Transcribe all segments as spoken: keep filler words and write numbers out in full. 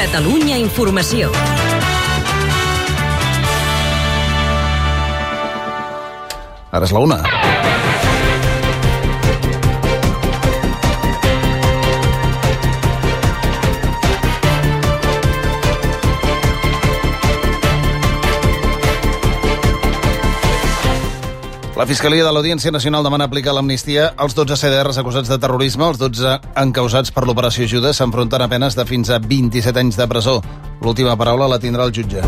Catalunya Informació. Ara és la una. La Fiscalia de l'Audiència Nacional demana aplicar l'amnistia als dotze C D Rs acusats de terrorisme. Els dotze encausats per l'operació Judes s'enfronten a penes de fins a vint-i-set anys de presó. L'última paraula la tindrà el jutge.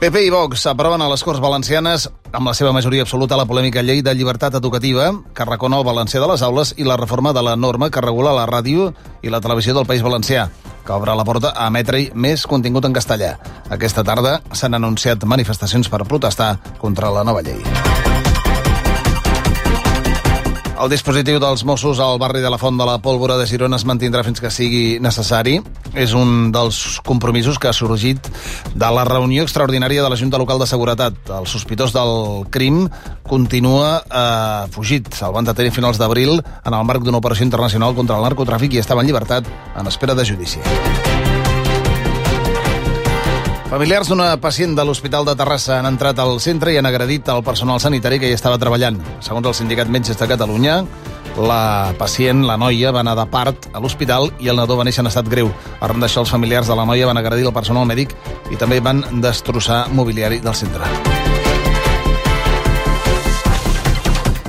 P P i Vox aproven a les Corts Valencianes amb la seva majoria absoluta la polèmica llei de llibertat educativa que recona el valencià de les aules i la reforma de la norma que regula la ràdio i la televisió del País Valencià, que obre la porta a emetre-hi més contingut en castellà. Aquesta tarda s'han anunciat manifestacions per protestar contra la nova llei. El dispositiu dels Mossos al barri de la Font de la Pólvora de Girona es mantindrà fins que sigui necessari. És un dels compromisos que ha sorgit de la reunió extraordinària de la Junta Local de Seguretat. El sospitós del crim continua eh, fugit. El van detenir a finals d'abril en el marc d'una operació internacional contra el narcotràfic i estava en llibertat en espera de judici. Familiars d'una pacient de l'Hospital de Terrassa han entrat al centre i han agredit el personal sanitari que hi estava treballant. Segons el Sindicat Metges de Catalunya, la pacient, la noia, va anar de part a l'hospital i el nadó va néixer en estat greu. Arran d'això, els familiars de la noia van agredir el personal mèdic i també van destrossar mobiliari del centre.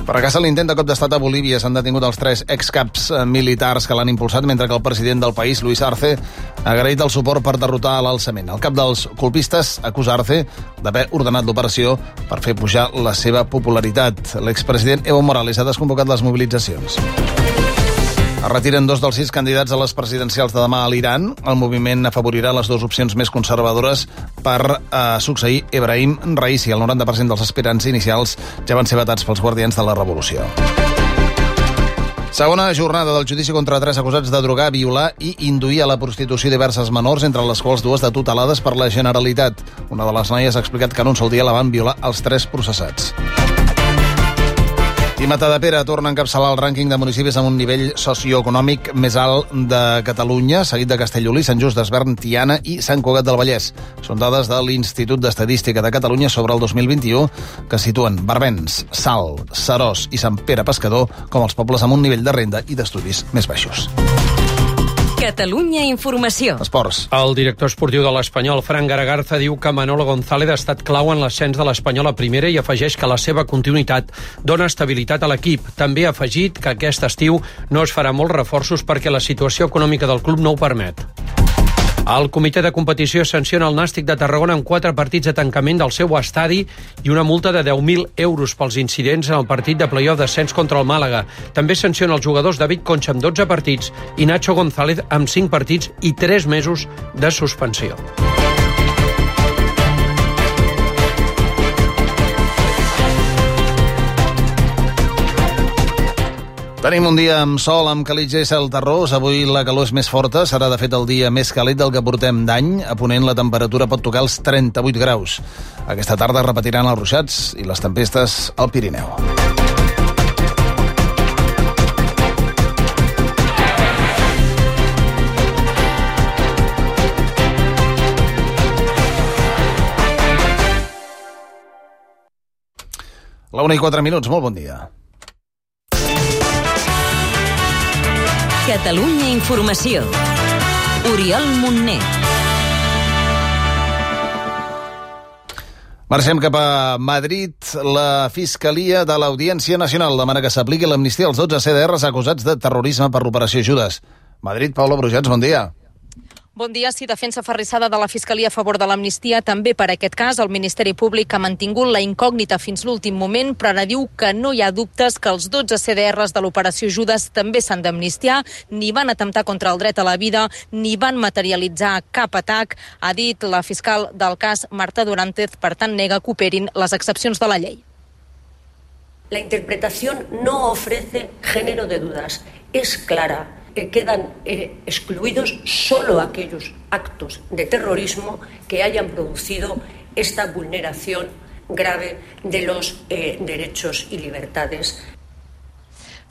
Fracassa l'intent de cop d'estat a Bolívia. S'han detingut els tres excaps militars que l'han impulsat, mentre que el president del país, Luis Arce, ha agraït el suport per derrotar l'alçament. El cap dels colpistes acusa Arce d'haver ordenat l'operació per fer pujar la seva popularitat. L'expresident Evo Morales ha desconvocat les mobilitzacions. Es retiren dos dels sis candidats a les presidencials de demà a l'Iran. El moviment afavorirà les dues opcions més conservadores per eh, succeir Ebrahim Raisi. El noranta per cent dels aspirants inicials ja van ser vetats pels guardians de la revolució. Segona jornada del judici contra tres acusats de drogar, violar i induir a la prostitució diverses menors, entre les quals dues de tutelades per la Generalitat. Una de les noies ha explicat que en un sol dia la van violar els tres processats. I Matadepera torna a encapçalar el rànquing de municipis amb un nivell socioeconòmic més alt de Catalunya, seguit de Castellolí, Sant Just d'Esvern, Tiana i Sant Cugat del Vallès. Són dades de l'Institut d'Estadística de Catalunya sobre el dos mil vint-i-u, que situen Barbens, Salt, Seròs i Sant Pere Pescador com els pobles amb un nivell de renda i d'estudis més baixos. Catalunya Informació. Esports. El director esportiu de l'Espanyol, Fran Garagarza, diu que Manolo González ha estat clau en l'ascens de l'Espanyol a primera i afegeix que la seva continuïtat dona estabilitat a l'equip. També ha afegit que aquest estiu no es farà molts reforços perquè la situació econòmica del club no ho permet. El comitè de competició sanciona el Nàstic de Tarragona amb quatre partits de tancament del seu estadi i una multa de deu mil euros pels incidents en el partit de play-off d'ascens contra el Màlaga. També sanciona els jugadors David Concha amb dotze partits i Nacho González amb cinc partits i tres mesos de suspensió. Tenim un dia amb sol, amb calitja i cel terrós. Avui la calor és més forta, serà de fet el dia més càlid del que portem d'any. A Ponent la temperatura pot tocar els trenta-vuit graus. Aquesta tarda repetiran els ruixats i les tempestes al Pirineu. La una i quatre minuts, molt bon dia. Catalunya Informació. Oriol Montner. Marxem cap a Madrid. La Fiscalia de l'Audiència Nacional demana que s'apliqui l'amnistia als dotze C D Rs acusats de terrorisme per l'operació Judes. Madrid, Paula Brujats, bon dia. Bon dia. Sí, defensa aferrissada de la Fiscalia a favor de l'amnistia. També per aquest cas el Ministeri Públic ha mantingut la incògnita fins l'últim moment, però ara diu que no hi ha dubtes que els dotze C D Rs de l'operació Judes també s'han d'amnistiar, ni van atemptar contra el dret a la vida, ni van materialitzar cap atac, ha dit la fiscal del cas, Marta Durantez. Per tant, nega que operin les excepcions de la llei. La interpretación no ofrece género de dudas, es clara. Eh, quedan eh, excluidos solo aquellos actos de terrorismo que hayan producido esta vulneración grave de los eh, derechos y libertades.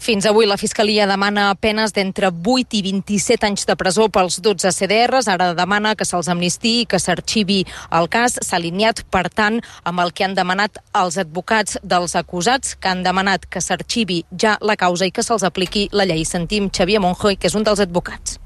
Fins avui la Fiscalia demana penes d'entre vuit i vint-i-set anys de presó pels dotze C D Rs. Ara demana que se'ls amnistiï i que s'arxivi el cas. S'ha alineat, per tant, amb el que han demanat els advocats dels acusats, que han demanat que s'arxivi ja la causa i que se'ls apliqui la llei. Sentim Xavier Monjoy, que és un dels advocats.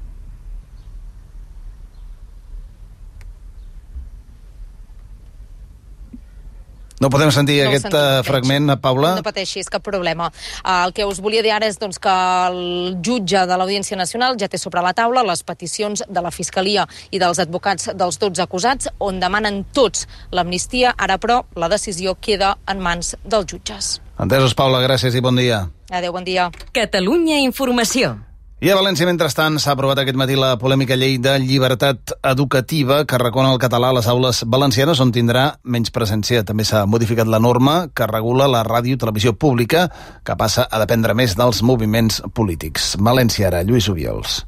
No podem sentir no aquest sentim, fragment, Paula? No pateixis, cap problema. El que us volia dir ara és doncs, que el jutge de l'Audiència Nacional ja té sobre la taula les peticions de la Fiscalia i dels advocats dels dotze acusats, on demanen tots l'amnistia. Ara, però, la decisió queda en mans dels jutges. Entesos, Paula, gràcies i bon dia. Adéu, bon dia. Catalunya Informació. I a València, mentrestant, s'ha aprovat aquest matí la polèmica llei de llibertat educativa que recona el català a les aules valencianes, on tindrà menys presència. També s'ha modificat la norma que regula la ràdio i televisió pública, que passa a dependre més dels moviments polítics. València ara, Lluís Obiols.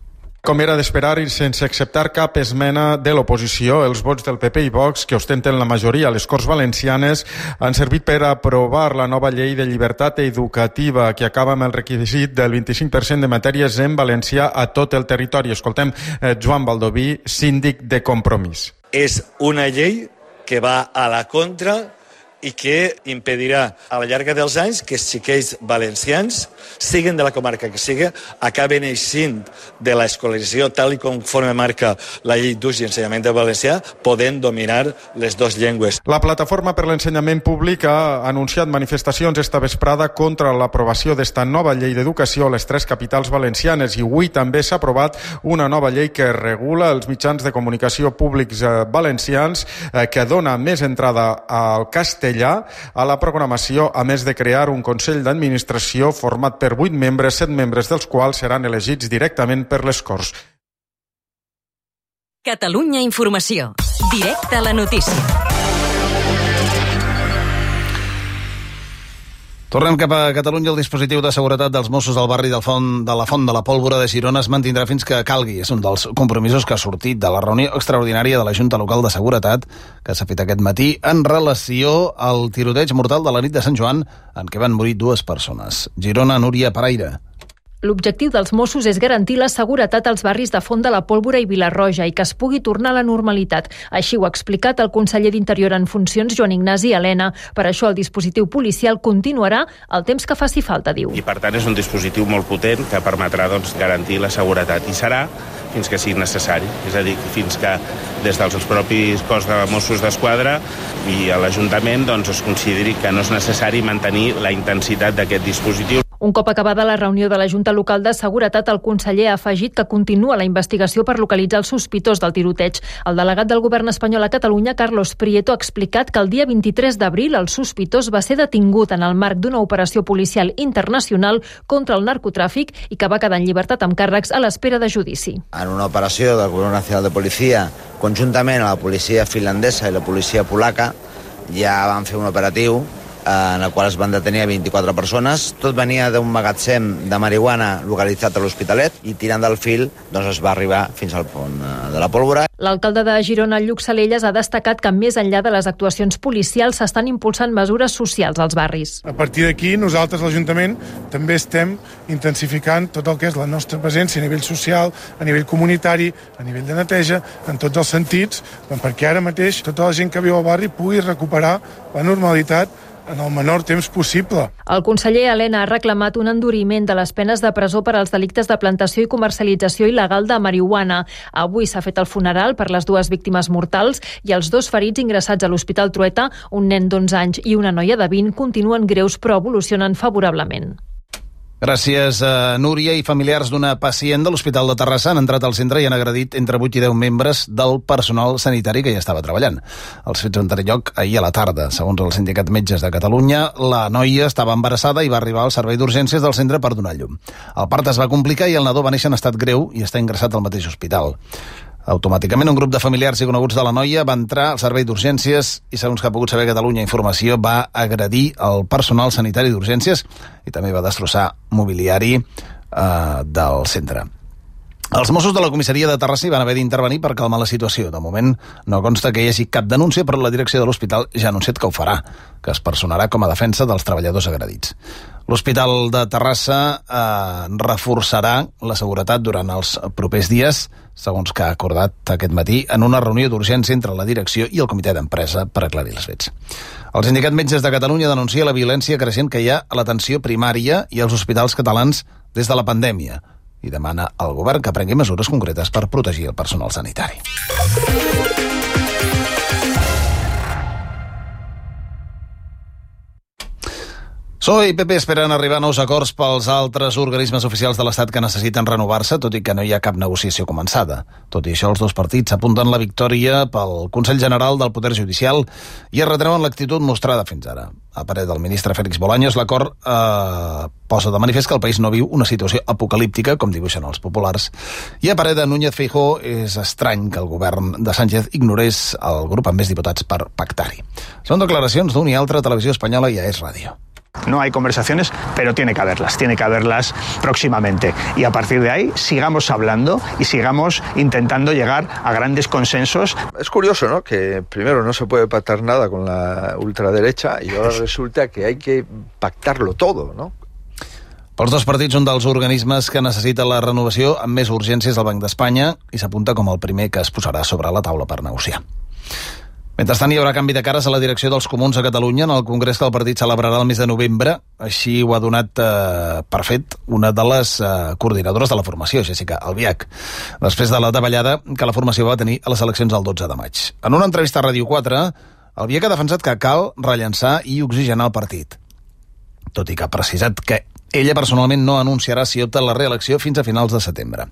Com era d'esperar i sense acceptar cap esmena de l'oposició, els vots del P P i Vox, que ostenten la majoria a les Corts Valencianes, han servit per aprovar la nova llei de llibertat educativa, que acaba amb el requisit del vint-i-cinc per cent de matèries en valencià a tot el territori. Escoltem eh, Joan Baldoví, síndic de Compromís. És una llei que va a la contra i que impedirà a la llarga dels anys que els xiquets valencians, siguin de la comarca que sigui, acaben eixint de l'escolarització tal i conforme marca la llei d'ús i ensenyament del valencià, podent dominar les dues llengües. La Plataforma per l'Ensenyament Públic ha anunciat manifestacions esta vesprada contra l'aprovació d'esta nova llei d'educació a les tres capitals valencianes, i avui també s'ha aprovat una nova llei que regula els mitjans de comunicació públics valencians, eh, que dona més entrada al castellà a la programació, a més de crear un Consell d'Administració format per vuit membres, set membres dels quals seran elegits directament per les Corts. Catalunya Informació. Directe a la notícia. Tornem cap a Catalunya. El dispositiu de seguretat dels Mossos del barri del Font, de la Font de la Pólvora de Girona es mantindrà fins que calgui. És un dels compromisos que ha sortit de la reunió extraordinària de la Junta Local de Seguretat que s'ha fet aquest matí en relació al tiroteig mortal de la nit de Sant Joan, en què van morir dues persones. Girona, Núria Paraire. L'objectiu dels Mossos és garantir la seguretat als barris de Font de la Pólvora i Vilarroja i que es pugui tornar a la normalitat. Així ho ha explicat el conseller d'Interior en funcions, Joan Ignasi Elena. Per això el dispositiu policial continuarà el temps que faci falta, diu. I per tant és un dispositiu molt potent que permetrà doncs, garantir la seguretat, i serà fins que sigui necessari. És a dir, fins que des dels propis cos de Mossos d'Esquadra i a l'Ajuntament doncs, es consideri que no és necessari mantenir la intensitat d'aquest dispositiu. Un cop acabada la reunió de la Junta Local de Seguretat, el conseller ha afegit que continua la investigació per localitzar el sospitós del tiroteig. El delegat del govern espanyol a Catalunya, Carlos Prieto, ha explicat que el dia vint-i-tres d'abril el sospitós va ser detingut en el marc d'una operació policial internacional contra el narcotràfic i que va quedar en llibertat amb càrrecs a l'espera de judici. En una operació del Govern Nacional de Policia, conjuntament a la policia finlandesa i la policia polaca, ja van fer un operatiu en el qual es van detenir vint-i-quatre persones. Tot venia d'un magatzem de marihuana localitzat a l'Hospitalet i tirant del fil doncs es va arribar fins al Pont de la Pólvora. L'alcalde de Girona, Lluc Salelles, ha destacat que més enllà de les actuacions policials s'estan impulsant mesures socials als barris. A partir d'aquí, nosaltres, l'Ajuntament, també estem intensificant tot el que és la nostra presència a nivell social, a nivell comunitari, a nivell de neteja, en tots els sentits, perquè ara mateix tota la gent que viu al barri pugui recuperar la normalitat en el menor temps possible. El conseller Elena ha reclamat un enduriment de les penes de presó per als delictes de plantació i comercialització il·legal de marihuana. Avui s'ha fet el funeral per les dues víctimes mortals i els dos ferits ingressats a l'Hospital Trueta, un nen d'onze anys i una noia de vint, continuen greus però evolucionen favorablement. Gràcies a Núria. I familiars d'una pacient de l'Hospital de Terrassa han entrat al centre i han agredit entre vuit i deu membres del personal sanitari que ja estava treballant. Els fets van tenir lloc ahir a la tarda. Segons el Sindicat Metges de Catalunya, la noia estava embarassada i va arribar al servei d'urgències del centre per donar llum. El part es va complicar i el nadó va néixer en estat greu i està ingressat al mateix hospital. Automàticament un grup de familiars i coneguts de la noia va entrar al servei d'urgències i, segons que ha pogut saber Catalunya Informació, va agredir el personal sanitari d'urgències i també va destrossar mobiliari eh, del centre. Els Mossos de la comissaria de Terrassa hi van haver d'intervenir per calmar la situació. De moment no consta que hi hagi cap denúncia, però la direcció de l'hospital ja ha anunciat que ho farà, que es personarà com a defensa dels treballadors agredits. L'Hospital de Terrassa eh, reforçarà la seguretat durant els propers dies, segons que ha acordat aquest matí en una reunió d'urgència entre la direcció i el comitè d'empresa per aclarir els fets. El Sindicat Metges de Catalunya denuncia la violència creixent que hi ha a l'atenció primària i als hospitals catalans des de la pandèmia i demana al govern que prengui mesures concretes per protegir el personal sanitari. P S O E i P P esperen arribar a nous acords pels altres organismes oficials de l'Estat que necessiten renovar-se, tot i que no hi ha cap negociació començada. Tot i això, els dos partits apunten la victòria pel Consell General del Poder Judicial i es retreuen l'actitud mostrada fins ara. A parer del ministre Félix Bolaños, l'acord eh, posa de manifest que el país no viu una situació apocalíptica, com dibuixen els populars, i a parer de Núñez Feijóo és estrany que el govern de Sánchez ignorés el grup amb més diputats per pactar-hi. Són declaracions d'un i altre Televisió Espanyola i A E S Radio. No hay conversaciones, pero tiene que haberlas, tiene que haberlas próximamente. Y a partir de ahí sigamos hablando y sigamos intentando llegar a grandes consensos. Es curioso, ¿no?, que primero no se puede pactar nada con la ultraderecha y ahora resulta que hay que pactarlo todo, ¿no? Pels dos partits, un dels organismes que necessita la renovació amb més urgència és el Banc d'Espanya i s'apunta com el primer que es posarà sobre la taula per negociar. Mentrestant, hi haurà canvi de cares a la direcció dels comuns a Catalunya en el congrés que el partit celebrarà el mes de novembre. Així ho ha donat eh, per fet una de les eh, coordinadores de la formació, Jessica Albiach, després de la davallada que la formació va tenir a les eleccions del dotze de maig. En una entrevista a Ràdio quatre, Albiach ha defensat que cal rellançar i oxigenar el partit, tot i que ha precisat que ella personalment no anunciarà si opta a la reelecció fins a finals de setembre.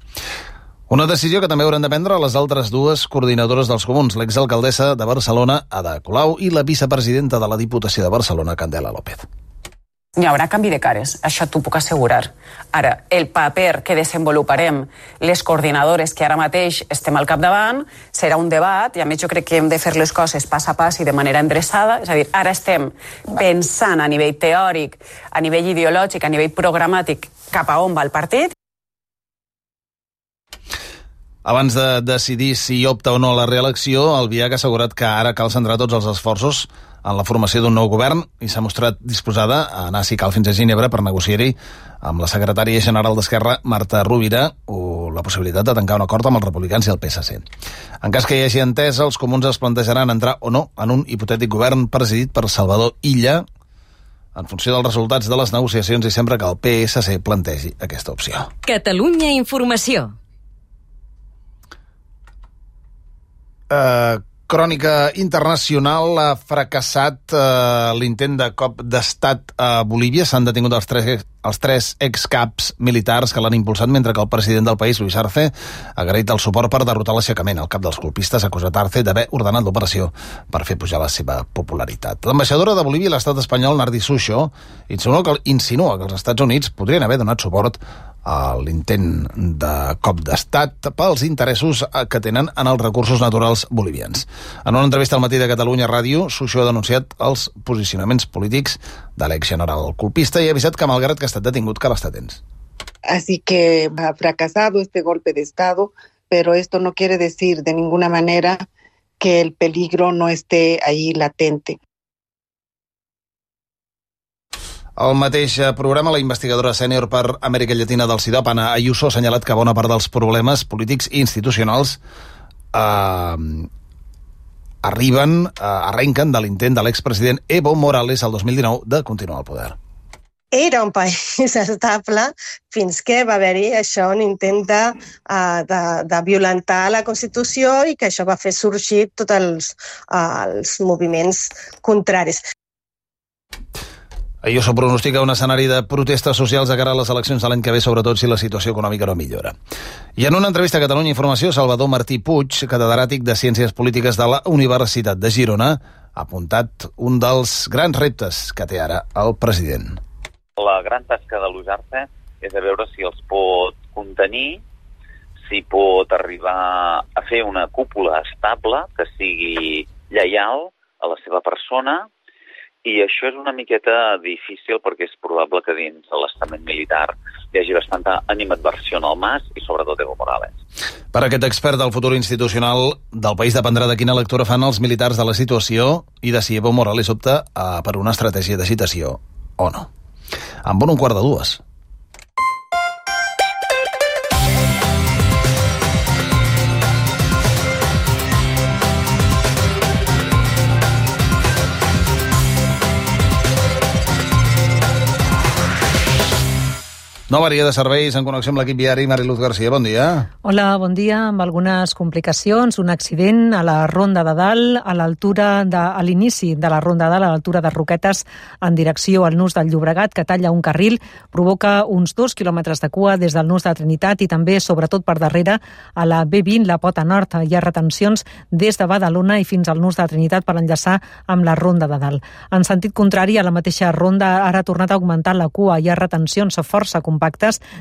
Una decisió que també hauran de prendre les altres dues coordinadores dels comuns, l'exalcaldessa de Barcelona, Ada Colau, i la vicepresidenta de la Diputació de Barcelona, Candela López. Hi haurà canvi de cares, això t'ho puc assegurar. Ara, el paper que desenvoluparem les coordinadores que ara mateix estem al capdavant serà un debat, i a més jo crec que hem de fer les coses pas a pas i de manera endreçada, és a dir, ara estem pensant a nivell teòric, a nivell ideològic, a nivell programàtic, cap a on va el partit. Abans de decidir si opta o no a la reelecció, Albiach ha assegurat que ara cal centrar tots els esforços en la formació d'un nou govern i s'ha mostrat disposada a anar, si cal, fins a Ginebra per negociar-hi amb la secretària general d'Esquerra, Marta Rovira, o la possibilitat de tancar un acord amb els republicans i el P S C. En cas que hi hagi entesa, els comuns es plantejaran entrar o no en un hipotètic govern presidit per Salvador Illa, en funció dels resultats de les negociacions i sempre que el P S C plantegi aquesta opció. Catalunya Informació. Uh, crònica internacional. Ha fracassat uh, l'intent de cop d'estat a Bolívia. S'han detingut els tres, els tres excaps militars que l'han impulsat, mentre que el president del país, Luis Arce, ha agraït el suport per derrotar l'aixecament. El cap dels colpistes ha acusat Arce d'haver ordenat l'operació per fer pujar la seva popularitat. L'ambaixadora de Bolívia a l'estat espanyol, Nardi Sucho, insinua que, insinua que els Estats Units podrien haver donat suport a l'intent de cop d'estat pels interessos que tenen en els recursos naturals bolivians. En una entrevista al Matí de Catalunya Ràdio, Sucho ha denunciat els posicionaments polítics de l'exgeneral colpista i ha avisat que, malgrat que ha estat detingut, cal estar atents. Así que ha fracasado este golpe de Estado, pero esto no quiere decir de ninguna manera que el peligro no esté ahí latente. Al mateix programa, la investigadora sènior per Amèrica Llatina del CIDOP, Ana Ayuso, ha assenyalat que bona part dels problemes polítics i institucionals eh, arriben, eh, arrenquen de l'intent de l'expresident Evo Morales el dos mil dinou de continuar al poder. Era un país estable fins que va haver-hi això, un intent de, uh, de, de violentar la Constitució i que això va fer sorgir tots els, uh, els moviments contraris. Ayuso pronostica un escenari de protestes socials de cara a les eleccions de l'any que ve, sobretot si la situació econòmica no millora. I en una entrevista a Catalunya Informació, Salvador Martí Puig, catedràtic de Ciències Polítiques de la Universitat de Girona, ha apuntat un dels grans reptes que té ara el president. La gran tasca de Luis Arce és a veure si els pot contenir, si pot arribar a fer una cúpula estable que sigui lleial a la seva persona. I això és una miqueta difícil perquè és probable que dins de l'estament militar que hi hagi bastanta animadversió al Mas i sobretot Evo Morales. Per aquest expert del futur institucional del país dependrà de quina lectura fan els militars de la situació i de si Evo Morales opta a, per una estratègia de citació o no. Amb un quart de dues. Nova àrea de serveis en connexió amb l'equip viari. Mariluz Garcia, bon dia. Hola, bon dia. Amb algunes complicacions, un accident a la Ronda de Dalt, a l'altura de, a l'inici de la Ronda de Dalt, a l'altura de Roquetes, en direcció al nus del Llobregat, que talla un carril, provoca uns dos quilòmetres de cua des del nus de Trinitat i també, sobretot per darrere, a la B vint, la Pota Nord. Hi ha retencions des de Badalona i fins al nus de Trinitat per enllaçar amb la Ronda de Dalt. En sentit contrari, a la mateixa ronda ara ha tornat a augmentar la cua. Hi ha retencions força compactes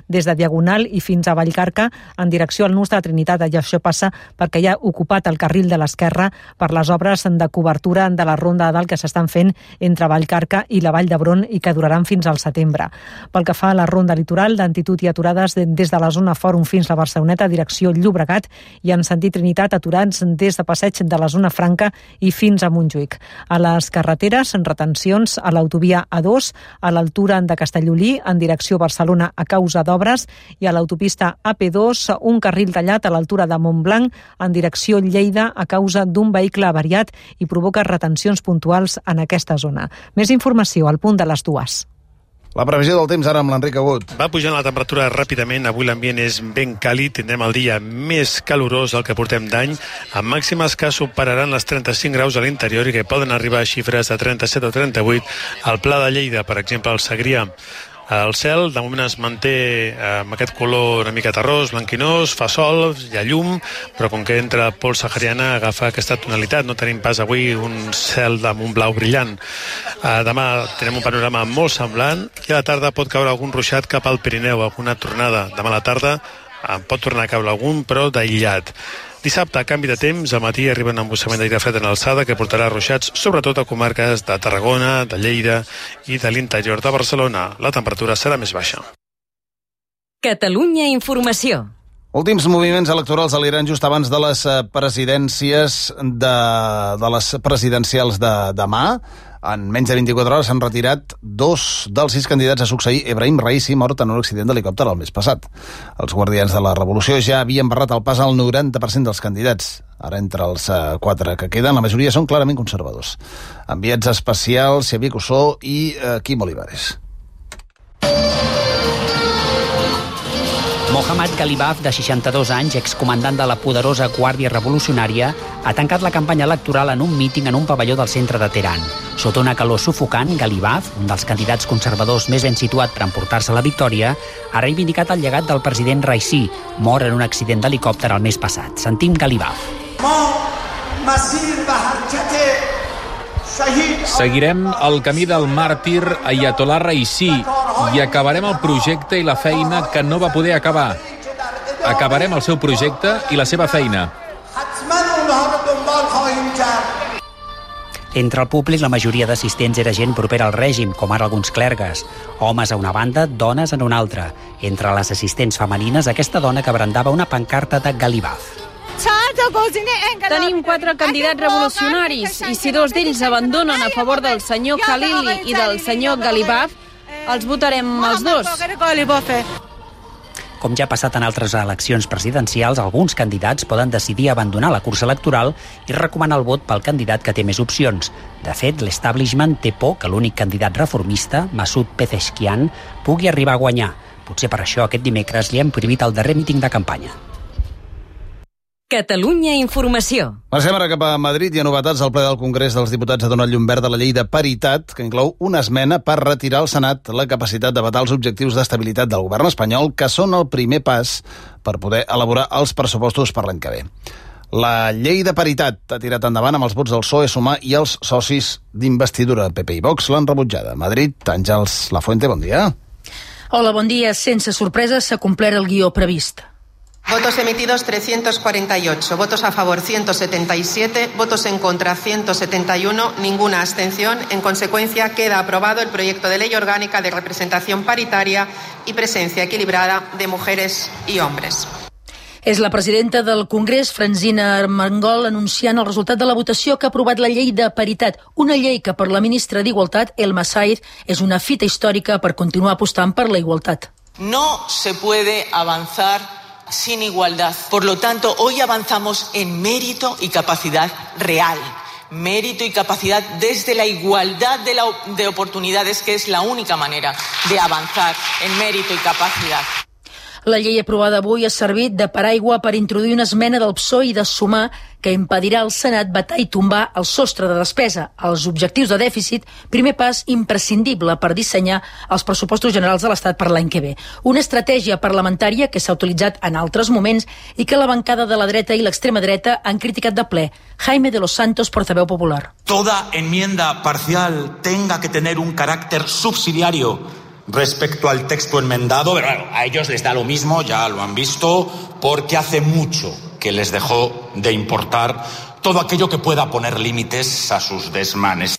des de Diagonal i fins a Vallcarca en direcció al nus de Trinitat. I això passa perquè hi ha ocupat el carril de l'esquerra per les obres de cobertura de la Ronda de Dalt que s'estan fent entre Vallcarca i la Vall d'Hebron i que duraran fins al setembre. Pel que fa a la Ronda Litoral, d'Antitud i aturades des de la zona Fòrum fins a Barceloneta, direcció Llobregat, i en sentit Trinitat aturats des de Passeig de la zona Franca i fins a Montjuïc. A les carreteres, retencions a l'autovia A dos, a l'altura de Castellolí, en direcció Barcelona a causa d'obres, i a l'autopista A P dos, un carril tallat a l'altura de Montblanc en direcció Lleida a causa d'un vehicle avariat i provoca retencions puntuals en aquesta zona. Més informació al punt de les dues. La previsió del temps ara amb l'Enric Agut. Va pujant la temperatura ràpidament, avui l'ambient és ben càlid, tindrem el dia més calorós del que portem d'any, amb màximes que superaran les trenta-cinc graus a l'interior i que poden arribar a xifres de trenta-set o trenta-vuit al Pla de Lleida, per exemple, al Segrià. El cel, de moment, es manté amb aquest color una mica terrós, blanquinós, fa sol, hi ha llum, però com que entra el pols sahariana agafa aquesta tonalitat. No tenim pas avui un cel amb un blau brillant. Demà tenim un panorama molt semblant i a la tarda pot caure algun ruixat cap al Pirineu, alguna tornada. Demà a la tarda pot tornar a caure algun, però d'aïllat. Dissabte, a canvi de temps, al matí arriba un embussament d'aire fred en alçada que portarà ruixats sobretot a comarques de Tarragona, de Lleida i de l'interior de Barcelona. La temperatura serà més baixa. Catalunya Informació. Últims moviments electorals a l'Iran just abans de les presidències de, de les presidencials de demà. En menys de vint-i-quatre hores s'han retirat dos dels sis candidats a succeir Ebrahim Raisi, mort en un accident d'helicòpter el mes passat. Els guardians de la revolució ja havien barrat el pas al noranta per cent dels candidats. Ara, entre els uh, quatre que queden, la majoria són clarament conservadors. Enviats especials, Xavier Cussó i uh, Quim Olivares. Mohammad Ghalibaf, de seixanta-dos anys, excomandant de la poderosa Guàrdia Revolucionària, ha tancat la campanya electoral en un míting en un pavelló del centre de Teheran. Sota una calor sufocant, Ghalibaf, un dels candidats conservadors més ben situat per emportar-se la victòria, ha reivindicat el llegat del president Raisi, mort en un accident d'helicòpter el mes passat. Sentim Ghalibaf. Seguirem el camí del màrtir Ayatollah Raisi i acabarem el projecte i la feina que no va poder acabar. Acabarem el seu projecte i la seva feina. Entre el públic, la majoria d'assistents era gent propera al règim, com ara alguns clergues. Homes a una banda, dones en una altra. Entre les assistents femenines, aquesta dona que brandava una pancarta de Ghalibaf. Tenim quatre candidats revolucionaris i si dos d'ells abandonen a favor del senyor Khalili i del senyor Ghalibaf, els votarem els dos. Com ja ha passat en altres eleccions presidencials, alguns candidats poden decidir abandonar la cursa electoral i recomanar el vot pel candidat que té més opcions. De fet, l'establishment té por que l'únic candidat reformista, Masoud Pezeshkian, pugui arribar a guanyar. Potser per això aquest dimecres li hem prohibit el darrer míting de campanya. Catalunya Informació. Marxem ara cap a Madrid i a novetats. El ple del Congrés dels Diputats ha donat llum verd a la llei de paritat, que inclou una esmena per retirar al Senat la capacitat de vetar els objectius d'estabilitat del govern espanyol, que són el primer pas per poder elaborar els pressupostos per l'any que ve. La llei de paritat ha tirat endavant amb els vots del P S O E, Sumar i els socis d'investidura. P P i Vox l'han rebutjada. Madrid, Àngels Lafuente, bon dia. Hola, bon dia. Sense sorpreses s'ha complert el guió previst. Votos emitidos trescientos cuarenta y ocho, votos a favor ciento setenta y siete, votos en contra ciento setenta y uno, ninguna abstención. En consecuencia, queda aprobado el proyecto de ley orgánica de representación paritaria y presencia equilibrada de mujeres y hombres. És la presidenta del Congrés, Francina Armengol, anunciant el resultat de la votació que ha aprovat la llei de paritat, una llei que per la ministra d'Igualtat, Elma Said, és una fita històrica per continuar apostant per la igualtat. No se puede avanzar sin igualdad. Por lo tanto, hoy avanzamos en mérito y capacidad real. Mérito y capacidad desde la igualdad de, la, de oportunidades, que es la única manera de avanzar en mérito y capacidad. La llei aprovada avui ha servit de paraigua per introduir una esmena del P S O E i de Sumar que impedirà al Senat vetar i tombar el sostre de despesa, els objectius de dèficit, primer pas imprescindible per dissenyar els pressupostos generals de l'Estat per l'any que ve. Una estratègia parlamentària que s'ha utilitzat en altres moments i que la bancada de la dreta i l'extrema dreta han criticat de ple. Jaime de los Santos, portaveu popular. Toda enmienda parcial tenga que tener un carácter subsidiario respecto al texto enmendado, pero bueno, a ellos les da lo mismo, ya lo han visto, porque hace mucho que les dejó de importar todo aquello que pueda poner límites a sus desmanes.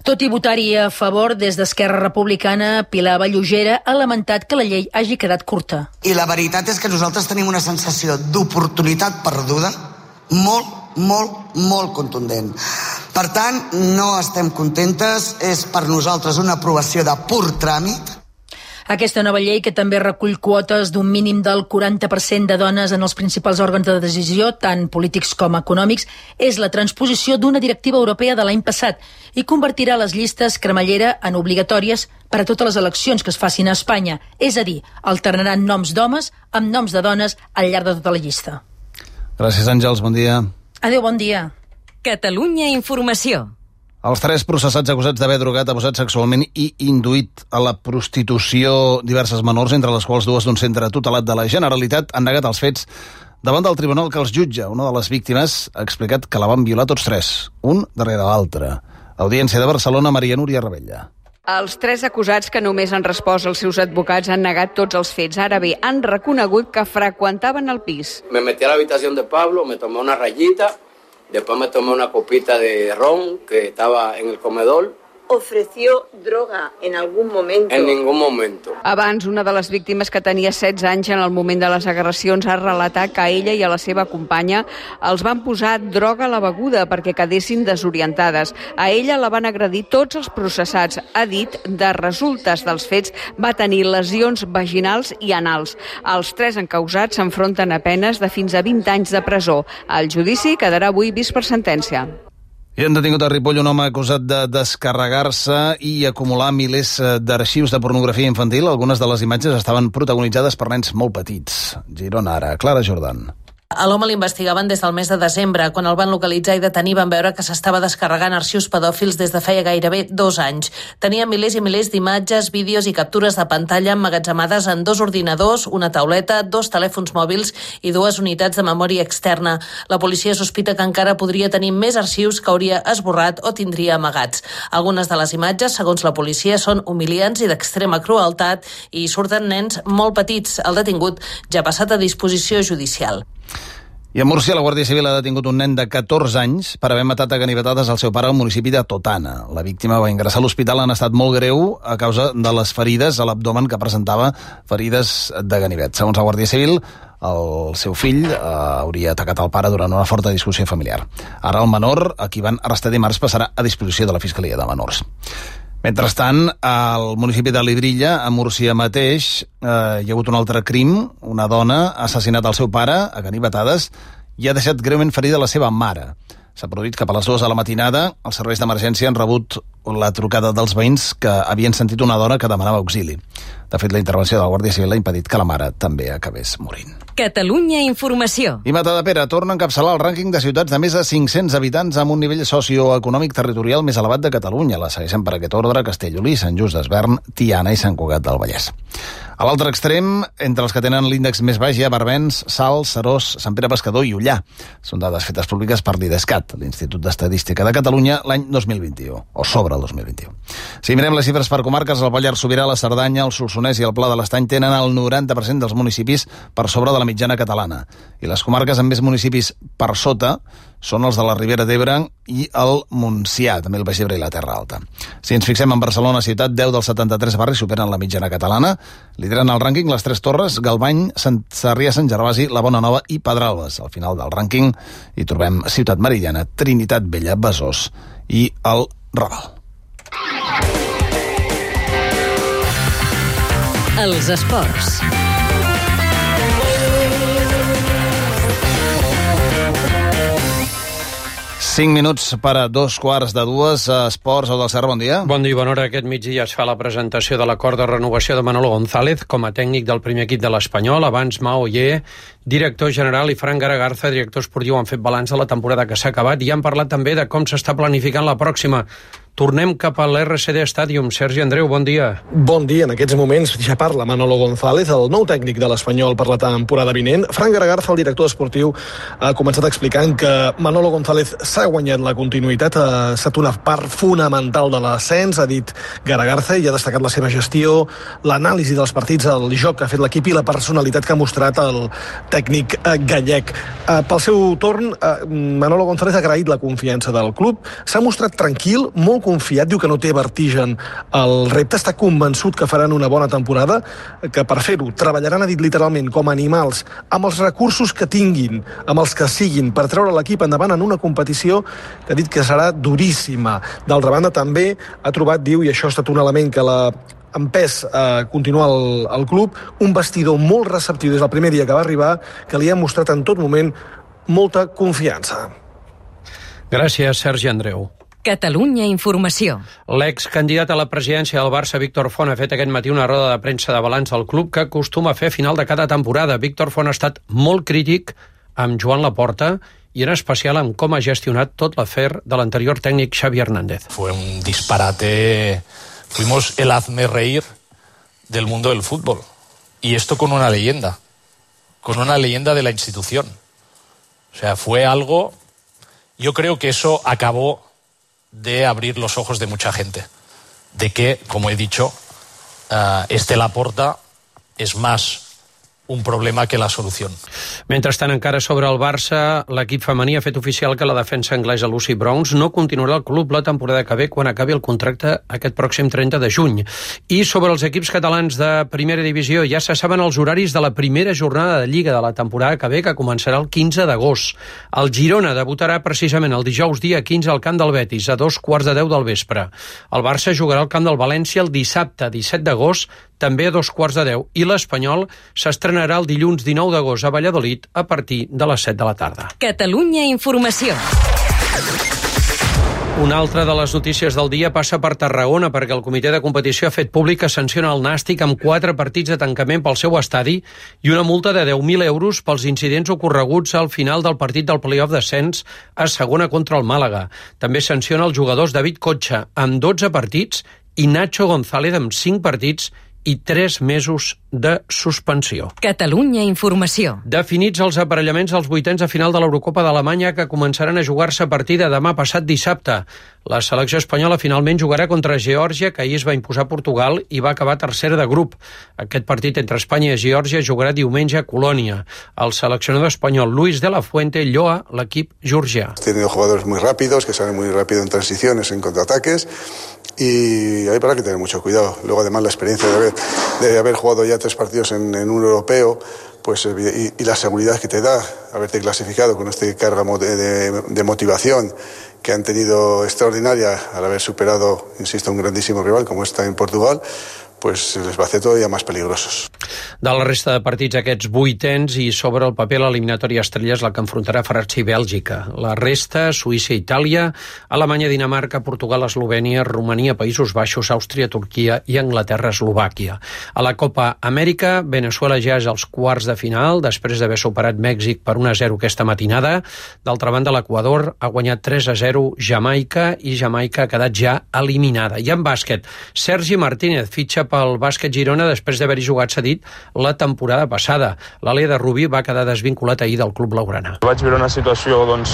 Tot i votar-hi a favor, des d'Esquerra Republicana, Pilar Vallugera ha lamentat que la llei hagi quedat curta. I la veritat és que nosaltres tenim una sensació d'oportunitat perduda molt, molt, molt contundent. Per tant, no estem contentes, és per nosaltres una aprovació de pur tràmit. Aquesta nova llei, que també recull quotes d'un mínim del quaranta per cent de dones en els principals òrgans de decisió, tant polítics com econòmics, és la transposició d'una directiva europea de l'any passat i convertirà les llistes cremallera en obligatòries per a totes les eleccions que es facin a Espanya. És a dir, alternaran noms d'homes amb noms de dones al llarg de tota la llista. Gràcies, Àngels. Bon dia. Adéu, bon dia. Catalunya Informació. Els tres processats acusats d'haver drogat, abusat sexualment i induït a la prostitució diverses menors, entre les quals dues d'un centre tutelat de la Generalitat, han negat els fets davant del tribunal que els jutja. Una de les víctimes ha explicat que la van violar tots tres, un darrere l'altre. Audiència de Barcelona, Maria Núria Rebella. Els tres acusats, que només han respost els seus advocats, han negat tots els fets. Ara bé, han reconegut que freqüentaven el pis. Me metí a la habitación de Pablo, me tomé una rayita, después me tomé una copita de ron que estaba en el comedor. ¿Ofreció droga en algún momento? En ningún momento. Abans, una de les víctimes, que tenia setze anys en el moment de les agressions, ha relatat que a ella i a la seva companya els van posar droga a la beguda perquè quedessin desorientades. A ella la van agredir tots els processats. Ha dit, de resultes dels fets, va tenir lesions vaginals i anals. Els tres encausats s'enfronten a penes de fins a vint anys de presó. El judici quedarà avui vist per sentència. I han detingut a Ripoll un home acusat de descarregar-se i acumular milers d'arxius de pornografia infantil. Algunes de les imatges estaven protagonitzades per nens molt petits. Girona, ara. Clara Jordan. A l'home l'investigaven des del mes de desembre. Quan el van localitzar i detenir van veure que s'estava descarregant arxius pedòfils des de feia gairebé dos anys. Tenia milers i milers d'imatges, vídeos i captures de pantalla emmagatzemades en dos ordinadors, una tauleta, dos telèfons mòbils i dues unitats de memòria externa. La policia sospita que encara podria tenir més arxius que hauria esborrat o tindria amagats. Algunes de les imatges, segons la policia, són humiliants i d'extrema crueltat i surten nens molt petits. El detingut ja ha passat a disposició judicial. I a Múrcia, la Guàrdia Civil ha detingut un nen de catorze anys per haver matat a ganivetades al seu pare al municipi de Totana. La víctima va ingressar a l'hospital en estat molt greu a causa de les ferides a l'abdomen que presentava, ferides de ganivet. Segons la Guàrdia Civil, el seu fill eh, hauria atacat el pare durant una forta discussió familiar. Ara el menor, a qui van arrestar dimarts, passarà a disposició de la Fiscalia de Menors. Mentrestant, al municipi de Lidrilla, a Múrcia mateix, eh, hi ha hagut un altre crim. Una dona ha assassinat el seu pare a ganivetades i ha deixat greument ferida la seva mare. S'ha produït cap a les dues de la matinada. Els serveis d'emergència han rebut la trucada dels veïns que havien sentit una dona que demanava auxili. De fet, la intervenció de la Guàrdia Civil ha impedit que la mare també acabés morint. Catalunya Informació. I Matadepera torna a encapçalar el rànquing de ciutats de més de cinc-cents habitants amb un nivell socioeconòmic territorial més elevat de Catalunya. La segueixen per aquest ordre Castellolí, Sant Just d'Esvern, Tiana i Sant Cugat del Vallès. A l'altre extrem, entre els que tenen l'índex més baix hi ha Barbens, Salt, Serós, Sant Pere Pescador i Ullà. Són dades fetes públiques per l'IDESCAT, l'Institut d'Estadística de Catalunya, l'any dos mil vint-i-u, o sobre el dos mil vint-i-u. Si mirem les xifres per comarques, el Pallars Sobirà, la Cerdanya, el Solsonès i el Pla de l'Estany tenen el noranta per cent dels municipis per sobre de la mitjana catalana. I les comarques amb més municipis per sota són els de la Ribera d'Ebre i el Montsià, també el Baix Ebre i la Terra Alta. Si ens fixem en Barcelona ciutat, deu dels setanta-tres barris superen la mitjana catalana. Lideren el rànquing les Tres Torres, Galvany, Sant Sarrià, Sant Gervasi, la Bona Nova i Pedralbes. Al final del rànquing hi trobem Ciutat Meridiana, Trinitat Vella, Besòs i el Raval. Els esports. Cinc minuts per a dos quarts de dues. Esports, Au del Serra, bon dia. Bon dia i bona hora. Aquest migdia es fa la presentació de l'acord de renovació de Manolo González com a tècnic del primer equip de l'Espanyol. Abans, Mao Oller, director general, i Fran Garagarza, director esportiu, han fet balanç de la temporada que s'ha acabat i han parlat també de com s'està planificant la pròxima. Tornem cap a l'R C D Stadium. Sergi Andreu, bon dia. Bon dia. En aquests moments ja parla Manolo González, el nou tècnic de l'Espanyol per la temporada vinent. Fran Garagarza, el director esportiu, ha començat explicant que Manolo González s'ha guanyat la continuïtat, ha estat una part fonamental de l'ascens, ha dit Garagarza, i ha destacat la seva gestió, l'anàlisi dels partits, el joc que ha fet l'equip i la personalitat que ha mostrat el tècnic gallec. Pel seu torn, Manolo González ha agraït la confiança del club, s'ha mostrat tranquil, molt confiat, diu que no té vertigen el repte, està convençut que faran una bona temporada, que per fer-ho treballaran, ha dit literalment, com animals, amb els recursos que tinguin, amb els que siguin, per treure l'equip endavant en una competició que ha dit que serà duríssima. D'altra banda, també ha trobat, diu, i això ha estat un element que l'ha empès a continuar el, el club, un vestidor molt receptiu des del primer dia que va arribar, que li ha mostrat en tot moment molta confiança. Gràcies, Sergi Andreu. Catalunya Informació. L'excandidat a la presidència del Barça, Víctor Font, ha fet aquest matí una roda de premsa de balanç al club que acostuma a fer a final de cada temporada. Víctor Font ha estat molt crític amb Joan Laporta i en especial amb com ha gestionat tot l'afer de l'anterior tècnic Xavi Hernández. Fue un disparate. Fuimos el hazme reír del mundo del fútbol. Y esto con una leyenda. Con una leyenda de la institución. O sea, fue algo... Yo creo que eso acabó de abrir los ojos de mucha gente, de que, como he dicho, uh, este Laporta es más un problema que la solució. Mentrestant, encara sobre el Barça, l'equip femení ha fet oficial que la defensa anglesa Lucy Bronze no continuarà al club la temporada que ve quan acabi el contracte aquest pròxim trenta de juny. I sobre els equips catalans de primera divisió, ja se saben els horaris de la primera jornada de Lliga de la temporada que ve, que començarà el quinze d'agost. El Girona debutarà precisament el dijous dia quinze al camp del Betis, a dos quarts de deu del vespre. El Barça jugarà al camp del València el dissabte disset d'agost, també a dos quarts de deu, i l'Espanyol s'estrenarà el dilluns dinou d'agost a Valladolid a partir de les set de la tarda. Catalunya Informació. Una altra de les notícies del dia passa per Tarragona, perquè el comitè de competició ha fet públic que sanciona el Nàstic amb quatre partits de tancament pel seu estadi i una multa de deu mil euros pels incidents ocorreguts al final del partit del play-off d'ascens a segona contra el Màlaga. També sanciona els jugadors David Cotxa amb dotze partits i Nacho González amb cinc partits i tres mesos de suspensió. Catalunya Informació. Definits els aparellaments als vuitens de final de l'Eurocopa d'Alemanya, que començaran a jugar-se a partir de demà passat dissabte. La selecció espanyola finalment jugarà contra Geòrgia, que ahir es va imposar a Portugal i va acabar tercera de grup. Aquest partit entre Espanya i Geòrgia jugarà diumenge a Colònia. El seleccionador espanyol Luis de la Fuente lloa l'equip georgià. Ha tenido jugadores muy rápidos, que salen muy rápido en transiciones, en contraataques, y hay para que tener mucho cuidado. Luego, además, la experiencia de haber, de haber jugado ya tres partidos en, en un europeo, pues y, y la seguridad que te da haberte clasificado con esta carga de, de, de motivación que han tenido extraordinaria al haber superado, insisto, un grandísimo rival como está en Portugal, pues les va a hacer todavía más peligrosos. De la resta de partits, aquests vuitens, i sobre el paper l'eliminatòria estrella és la que enfrontarà França i Bèlgica. La resta, Suïssa, Itàlia, Alemanya, Dinamarca, Portugal, Eslovènia, Romania, Països Baixos, Àustria, Turquia i Anglaterra, Eslovàquia. A la Copa Amèrica, Veneçuela ja és als quarts de final, després d'haver superat Mèxic per un a zero aquesta matinada. D'altra banda, l'Equador ha guanyat tres a zero Jamaica i Jamaica ha quedat ja eliminada. I en bàsquet, Sergi Martínez fitxa pel Bàsquet Girona després d'haver-hi jugat cedit la temporada passada. L'Ale de Rubí va quedar desvinculat ahir del club blaugrana. Vaig viure una situació, doncs,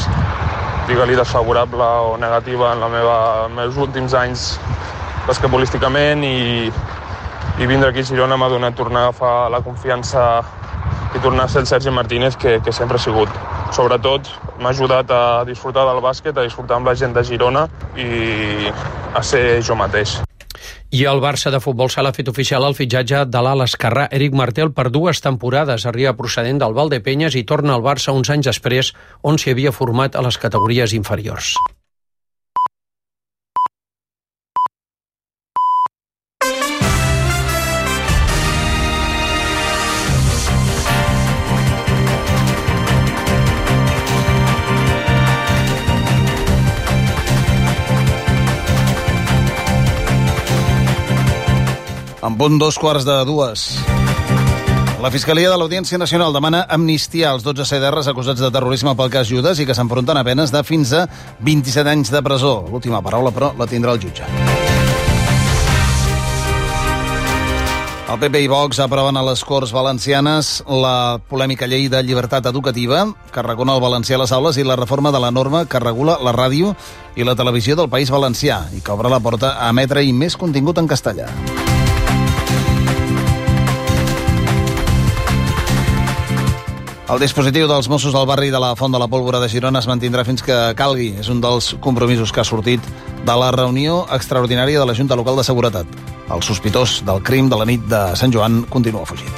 digue-li desfavorable o negativa en la meva, en els meus últims anys basquetbolísticament i, i vindre aquí a Girona m'ha donat tornar a agafar la confiança i tornar a ser el Sergi Martínez que, que sempre ha sigut. Sobretot m'ha ajudat a disfrutar del bàsquet, a disfrutar amb la gent de Girona i a ser jo mateix. I el Barça de futbol sala ha fet oficial el fitxatge de l'ala esquerrà Eric Martel per dues temporades. Arriba procedent del Valdepenyes i torna al Barça uns anys després, on s'hi havia format a les categories inferiors. En punt dos quarts de dues. La Fiscalia de l'Audiència Nacional demana amnistiar els dotze C D Rs acusats de terrorisme pel cas Judes i que s'enfronten a penes de fins a vint-i-set anys de presó. L'última paraula, però, la tindrà el jutge. El P P i Vox aproven a les Corts Valencianes la polèmica llei de llibertat educativa que recona el valencià a les aules i la reforma de la norma que regula la ràdio i la televisió del País Valencià i que obre la porta a emetre-hi més contingut en castellà. El dispositiu dels Mossos del barri de la Font de la Pólvora de Girona es mantindrà fins que calgui. És un dels compromisos que ha sortit de la reunió extraordinària de la Junta Local de Seguretat. El sospitós del crim de la nit de Sant Joan continua fugit.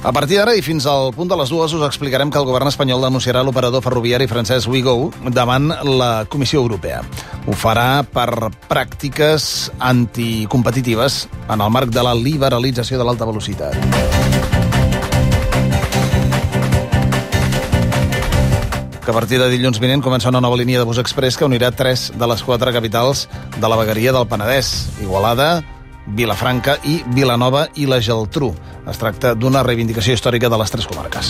A partir d'ara i fins al punt de les dues us explicarem que el govern espanyol denunciarà l'operador ferroviari francès Ouigo davant la Comissió Europea. Ho farà per pràctiques anticompetitives en el marc de la liberalització de l'alta velocitat. Que a partir de dilluns vinent comença una nova línia de bus express que unirà tres de les quatre capitals de la vegueria del Penedès: Igualada, Vilafranca i Vilanova i la Geltrú. Es tracta d'una reivindicació històrica de les tres comarques.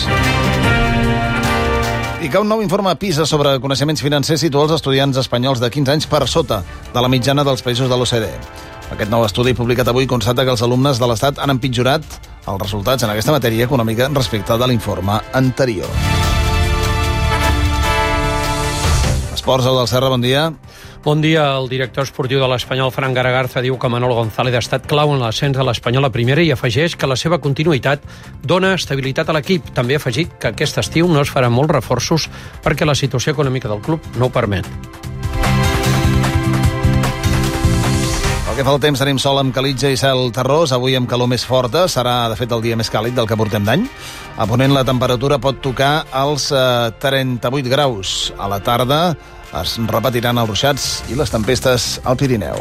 I que un nou informe PISA sobre coneixements financers situa els estudiants espanyols de quinze anys per sota de la mitjana dels països de l'O C D E. Aquest nou estudi publicat avui constata que els alumnes de l'Estat han empitjorat els resultats en aquesta matèria econòmica respecte de l'informe anterior. Esports, el del Serra, bon dia. Bon dia. El director esportiu de l'Espanyol, Fran Garagarza, diu que Manolo González ha estat clau en l'ascens de l'Espanyol a primera i afegeix que la seva continuïtat dona estabilitat a l'equip. També ha afegit que aquest estiu no es faran molts reforços perquè la situació econòmica del club no ho permet. Pel que fa al temps, tenim sol amb calitja i cel terrós. Avui amb calor més forta. Serà, de fet, el dia més càlid del que portem d'any. A ponent la temperatura pot tocar als eh, trenta-vuit graus. A la tarda es repetiran els ruixats i les tempestes al Pirineu.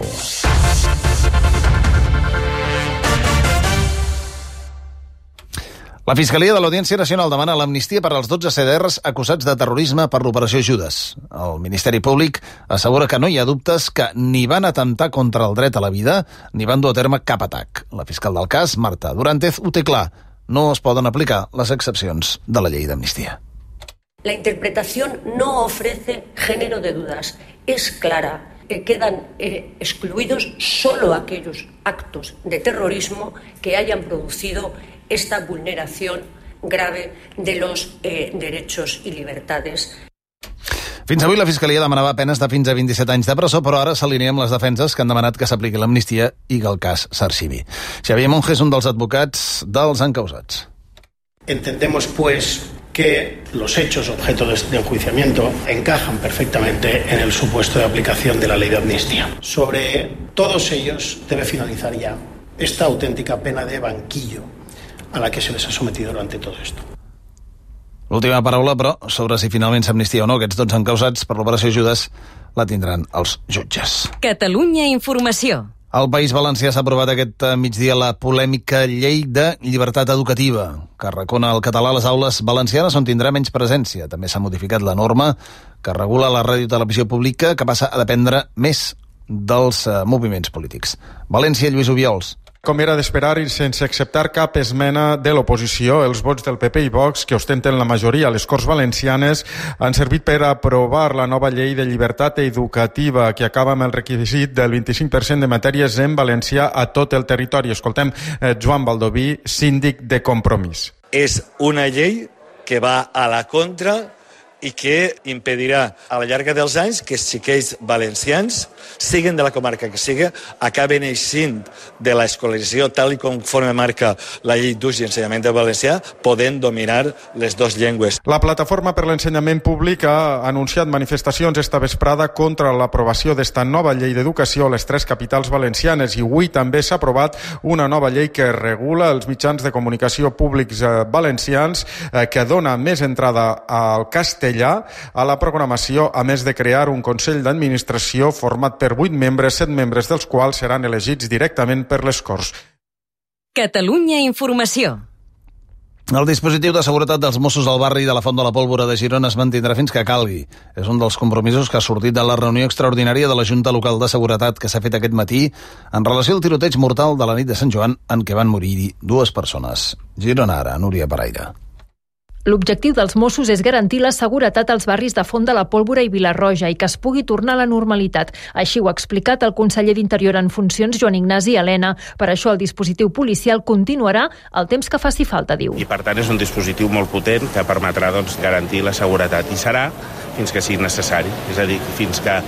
La Fiscalia de l'Audiència Nacional demana l'amnistia per als dotze C D Rs acusats de terrorisme per l'operació Judes. El Ministeri Públic assegura que no hi ha dubtes que ni van atemptar contra el dret a la vida ni van dur a terme cap atac. La fiscal del cas, Marta Durantez, ho té clar. No es poden aplicar les excepcions de la llei d'amnistia. La interpretación no ofrece género de dudas. Es clara. Eh, quedan eh, excluidos solo aquellos actos de terrorismo que hayan producido esta vulneración grave de los eh, derechos y libertades. Fins avui la Fiscalia demanava penes de fins a vint-i-set anys de presó, però ara s'alinea amb les defenses que han demanat que s'apliqui l'amnistia i que el cas s'arxivi. Xavier Monge és un dels advocats dels encausats. Entendemos, pues, que los hechos objeto de enjuiciamiento encajan perfectamente en el supuesto de aplicación de la ley de amnistía. Sobre todos ellos debe finalizar ya esta auténtica pena de banquillo a la que se les ha sometido durante todo esto. L'última paraula, però, sobre si finalment s'amnistia o no aquests dotze encausats per l'operació Judes, la tindran els jutges. Catalunya Informació. Al País Valencià s'ha aprovat aquest migdia la polèmica llei de llibertat educativa, que recona el català a les aules valencianes on tindrà menys presència. També s'ha modificat la norma que regula la ràdio i televisió pública, que passa a dependre més dels uh, moviments polítics. València, Lluís Obiols. Com era d'esperar i sense acceptar cap esmena de l'oposició, els vots del P P i Vox, que ostenten la majoria a les Corts Valencianes, han servit per aprovar la nova llei de llibertat educativa que acaba amb el requisit del vint-i-cinc per cent de matèries en valencià a tot el territori. Escoltem eh, Joan Baldoví, síndic de Compromís. És una llei que va a la contra i que impedirà a la llarga dels anys que els xiquets valencians, siguin de la comarca que sigui, acaben eixint de l'escolarització tal i conforme marca la llei d'ús i ensenyament del valencià, podent dominar les dues llengües. La Plataforma per l'Ensenyament Públic ha anunciat manifestacions esta vesprada contra l'aprovació d'esta nova llei d'educació a les tres capitals valencianes i avui també s'ha aprovat una nova llei que regula els mitjans de comunicació públics valencians eh, que dona més entrada al castellà a la programació, a més de crear un Consell d'Administració format per vuit membres, set membres dels quals seran elegits directament per les Corts. Catalunya Informació. El dispositiu de seguretat dels Mossos al barri de la Font de la Pólvora de Girona es mantindrà fins que calgui. És un dels compromisos que ha sortit de la reunió extraordinària de la Junta Local de Seguretat que s'ha fet aquest matí en relació al tiroteig mortal de la nit de Sant Joan en què van morir dues persones. Girona ara, Núria Paraire. L'objectiu dels Mossos és garantir la seguretat als barris de Font de la Pólvora i Vilarroja i que es pugui tornar a la normalitat. Així ho ha explicat el conseller d'Interior en funcions, Joan Ignasi Elena. Per això el dispositiu policial continuarà el temps que faci falta, diu. I per tant és un dispositiu molt potent que permetrà doncs, garantir la seguretat i serà fins que sigui necessari. És a dir, fins que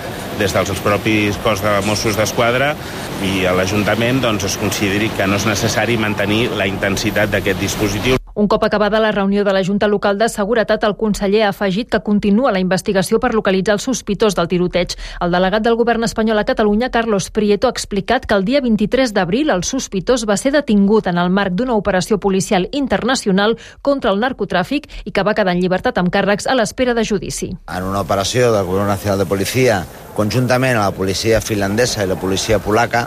des dels propis cos de Mossos d'Esquadra i a l'Ajuntament doncs, es consideri que no és necessari mantenir la intensitat d'aquest dispositiu. Un cop acabada la reunió de la Junta Local de Seguretat, el conseller ha afegit que continua la investigació per localitzar el sospitós del tiroteig. El delegat del govern espanyol a Catalunya, Carlos Prieto, ha explicat que el dia vint-i-tres d'abril el sospitós va ser detingut en el marc d'una operació policial internacional contra el narcotràfic i que va quedar en llibertat amb càrrecs a l'espera de judici. En una operació del Govern Nacional de Policia, conjuntament a la policia finlandesa i la policia polaca,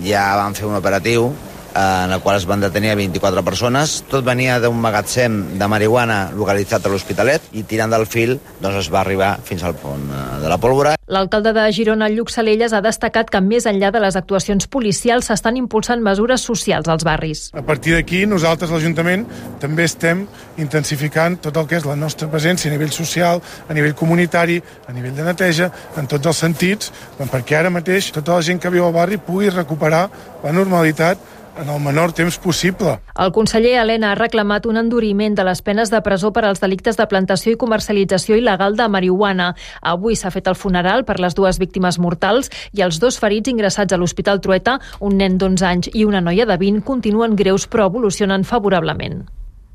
ja van fer un operatiu en el qual es van detenir vint-i-quatre persones. Tot venia d'un magatzem de marihuana localitzat a l'Hospitalet i tirant del fil doncs es va arribar fins al pont de la Pólvora. L'alcalde de Girona, Lluc Salelles, ha destacat que més enllà de les actuacions policials s'estan impulsant mesures socials als barris. A partir d'aquí, nosaltres, l'Ajuntament, també estem intensificant tot el que és la nostra presència a nivell social, a nivell comunitari, a nivell de neteja, en tots els sentits, perquè ara mateix tota la gent que viu al barri pugui recuperar la normalitat en el menor temps possible. El conseller Elena ha reclamat un enduriment de les penes de presó per als delictes de plantació i comercialització il·legal de marihuana. Avui s'ha fet el funeral per les dues víctimes mortals i els dos ferits ingressats a l'Hospital Trueta, un nen d'onze anys i una noia de vint, continuen greus però evolucionen favorablement.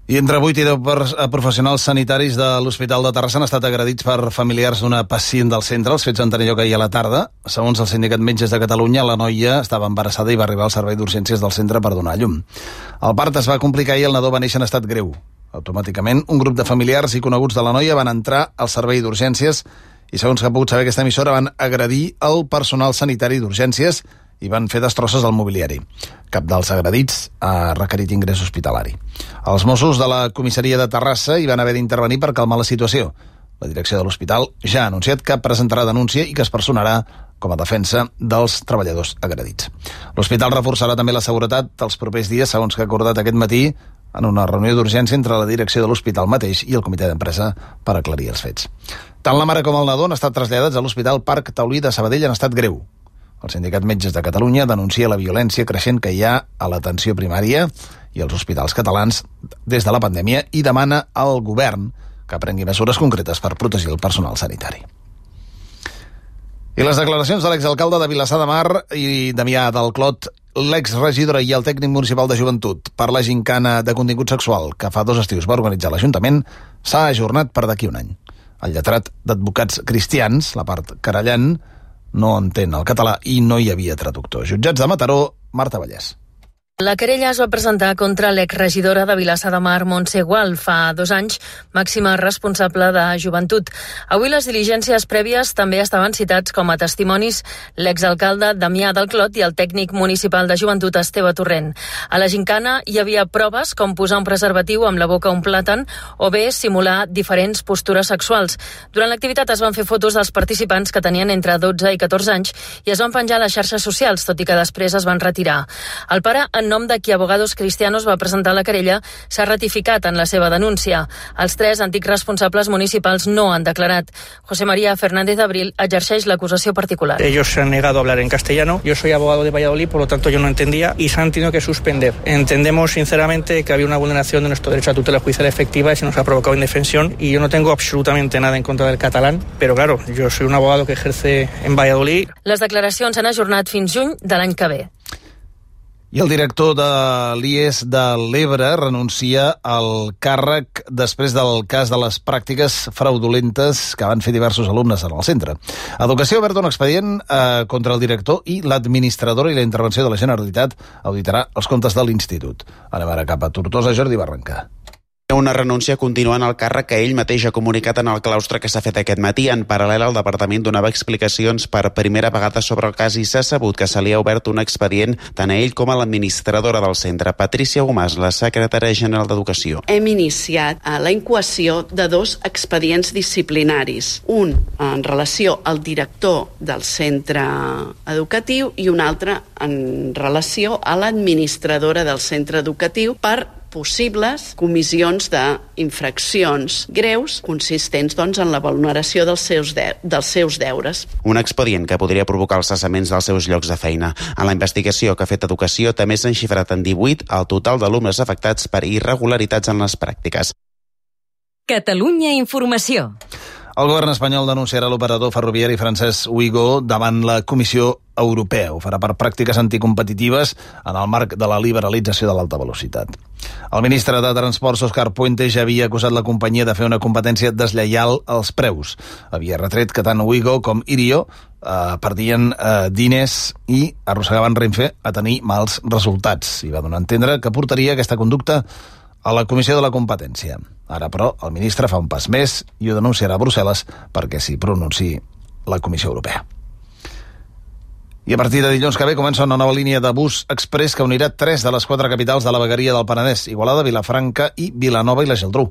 I entre vuit i deu professionals sanitaris de l'Hospital de Terrassa han estat agredits per familiars d'una pacient del centre. Els fets van tenir lloc ahir a la tarda. Segons el Sindicat Metges de Catalunya, la noia estava embarassada i va arribar al servei d'urgències del centre per donar llum. El part es va complicar i el nadó va néixer en estat greu. Automàticament, un grup de familiars i coneguts de la noia van entrar al servei d'urgències i, segons que ha pogut saber aquesta emissora, van agredir el personal sanitari d'urgències i van fer destrosses al mobiliari. Cap dels agredits ha requerit ingrés hospitalari. Els Mossos de la comissaria de Terrassa hi van haver d'intervenir per calmar la situació. La direcció de l'hospital ja ha anunciat que presentarà denúncia i que es personarà com a defensa dels treballadors agredits. L'hospital reforçarà també la seguretat els propers dies, segons que ha acordat aquest matí en una reunió d'urgència entre la direcció de l'hospital mateix i el comitè d'empresa per aclarir els fets. Tant la mare com el nadó han estat traslladats a l'Hospital Parc Taulí de Sabadell en estat greu. El Sindicat Metges de Catalunya denuncia la violència creixent que hi ha a l'atenció primària i als hospitals catalans des de la pandèmia i demana al govern que prengui mesures concretes per protegir el personal sanitari. I les declaracions de l'exalcalde de Vilassar de Mar i Damià del Clot, l'exregidora i el tècnic municipal de joventut per la gincana de contingut sexual que fa dos estius va organitzar l'Ajuntament s'ha ajornat per d'aquí un any. El lletrat d'advocats cristians, la part querellant, no entén el català i no hi havia traductor. Jutjats de Mataró, Marta Vallès. La querella es va presentar contra l'exregidora de Vilassar de Mar, Montse Gual, fa dos anys, màxima responsable de joventut. Avui les diligències prèvies també estaven citats com a testimonis l'exalcalde Damià del Clot i el tècnic municipal de joventut Esteve Torrent. A la gincana hi havia proves com posar un preservatiu amb la boca a un plàtan o bé simular diferents postures sexuals. Durant l'activitat es van fer fotos dels participants que tenien entre dotze i catorze anys i es van penjar a les xarxes socials, tot i que després es van retirar. El pare en nom de qui Abogados Cristianos va presentar la querella, s'ha ratificat en la seva denúncia. Els tres antics responsables municipals no han declarat. José María Fernández Abril exerceix l'acusació particular. Ellos se han negado a hablar en castellano. Yo soy abogado de Valladolid, por lo tanto yo no entendía y se han tenido que suspender. Entendemos sinceramente que había una vulneración de nuestro derecho a tutela judicial efectiva y se nos ha provocado indefensión, y yo no tengo absolutamente nada en contra del catalán, pero claro, yo soy un abogado que ejerce en Valladolid. Les declaracions s'han ajornat fins juny de l'any que ve. I el director de l'I E S de l'Ebre renuncia al càrrec després del cas de les pràctiques fraudulentes que van fer diversos alumnes en el centre. Educació ha obert un expedient eh, contra el director i l'administradora, i la intervenció de la Generalitat auditarà els comptes de l'institut. Anem ara cap a Tortosa, Jordi Barranca. Una renúncia continuant al càrrec que ell mateix ha comunicat en el claustre que s'ha fet aquest matí. En paral·lel, el departament donava explicacions per primera vegada sobre el cas i s'ha sabut que se li ha obert un expedient tant a ell com a l'administradora del centre. Patricia Gomàs, la secretària general d'Educació. Hem iniciat la incoació de dos expedients disciplinaris. Un en relació al director del centre educatiu i un altre en relació a l'administradora del centre educatiu per possibles comissions d'infraccions greus consistents doncs, en la vulneració dels seus, de, dels seus deures. Un expedient que podria provocar els cessaments dels seus llocs de feina. En la investigació que ha fet Educació també s'han xifrat en divuit el total d'alumnes afectats per irregularitats en les pràctiques. Catalunya Informació. El govern espanyol denunciarà l'operador ferroviari francès Ouigo davant la Comissió Europea. Ho farà per pràctiques anticompetitives en el marc de la liberalització de l'alta velocitat. El ministre de Transports, Òscar Puente, ja havia acusat la companyia de fer una competència deslleial als preus. Havia retret que tant Ouigo com Irio eh, perdien eh, diners i arrossegaven Renfe a tenir mals resultats. I va donar a entendre que portaria aquesta conducta a la Comissió de la Competència. Ara, però, el ministre fa un pas més i ho denunciarà a Brussel·les perquè s'hi pronunciï la Comissió Europea. I a partir de dilluns que ve comença una nova línia de bus express que unirà tres de les quatre capitals de la vegueria del Penedès, Igualada, Vilafranca i Vilanova i la Geltrú.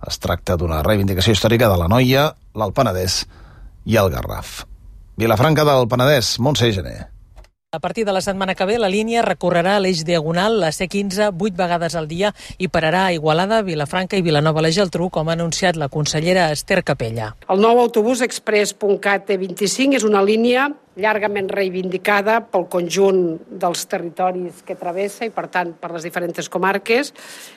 Es tracta d'una reivindicació històrica de l'Anoia, l'Alt Penedès i el Garraf. Vilafranca del Penedès, Montse Gené. A partir de la setmana que ve, la línia recorrerà l'eix diagonal, la C quinze, vuit vegades al dia i pararà a Igualada, Vilafranca i Vilanova la Geltrú, com ha anunciat la consellera Esther Capella. El nou autobús express punt cat T vint-i-cinc és una línia llargament reivindicada pel conjunt dels territoris que travessa i, per tant, per les diferents comarques,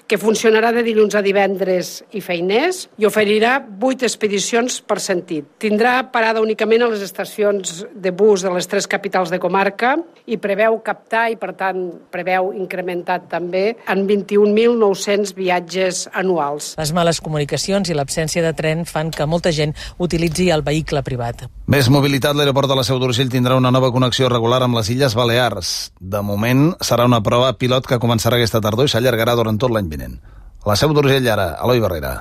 que funcionarà de dilluns a divendres i feiners i oferirà vuit expedicions per sentit. Tindrà parada únicament a les estacions de bus de les tres capitals de comarca i preveu captar i, per tant, preveu incrementar també en vint-i-un mil nou-cents viatges anuals. Les males comunicacions i l'absència de tren fan que molta gent utilitzi el vehicle privat. Més mobilitat, l'aeroport de la Seu d'Urgell tindrà una nova connexió regular amb les Illes Balears. De moment, serà una prova pilot que començarà aquesta tardor i s'allargarà durant tot l'any vinent. La Seu d'Urgell ara, Eloi Barrera.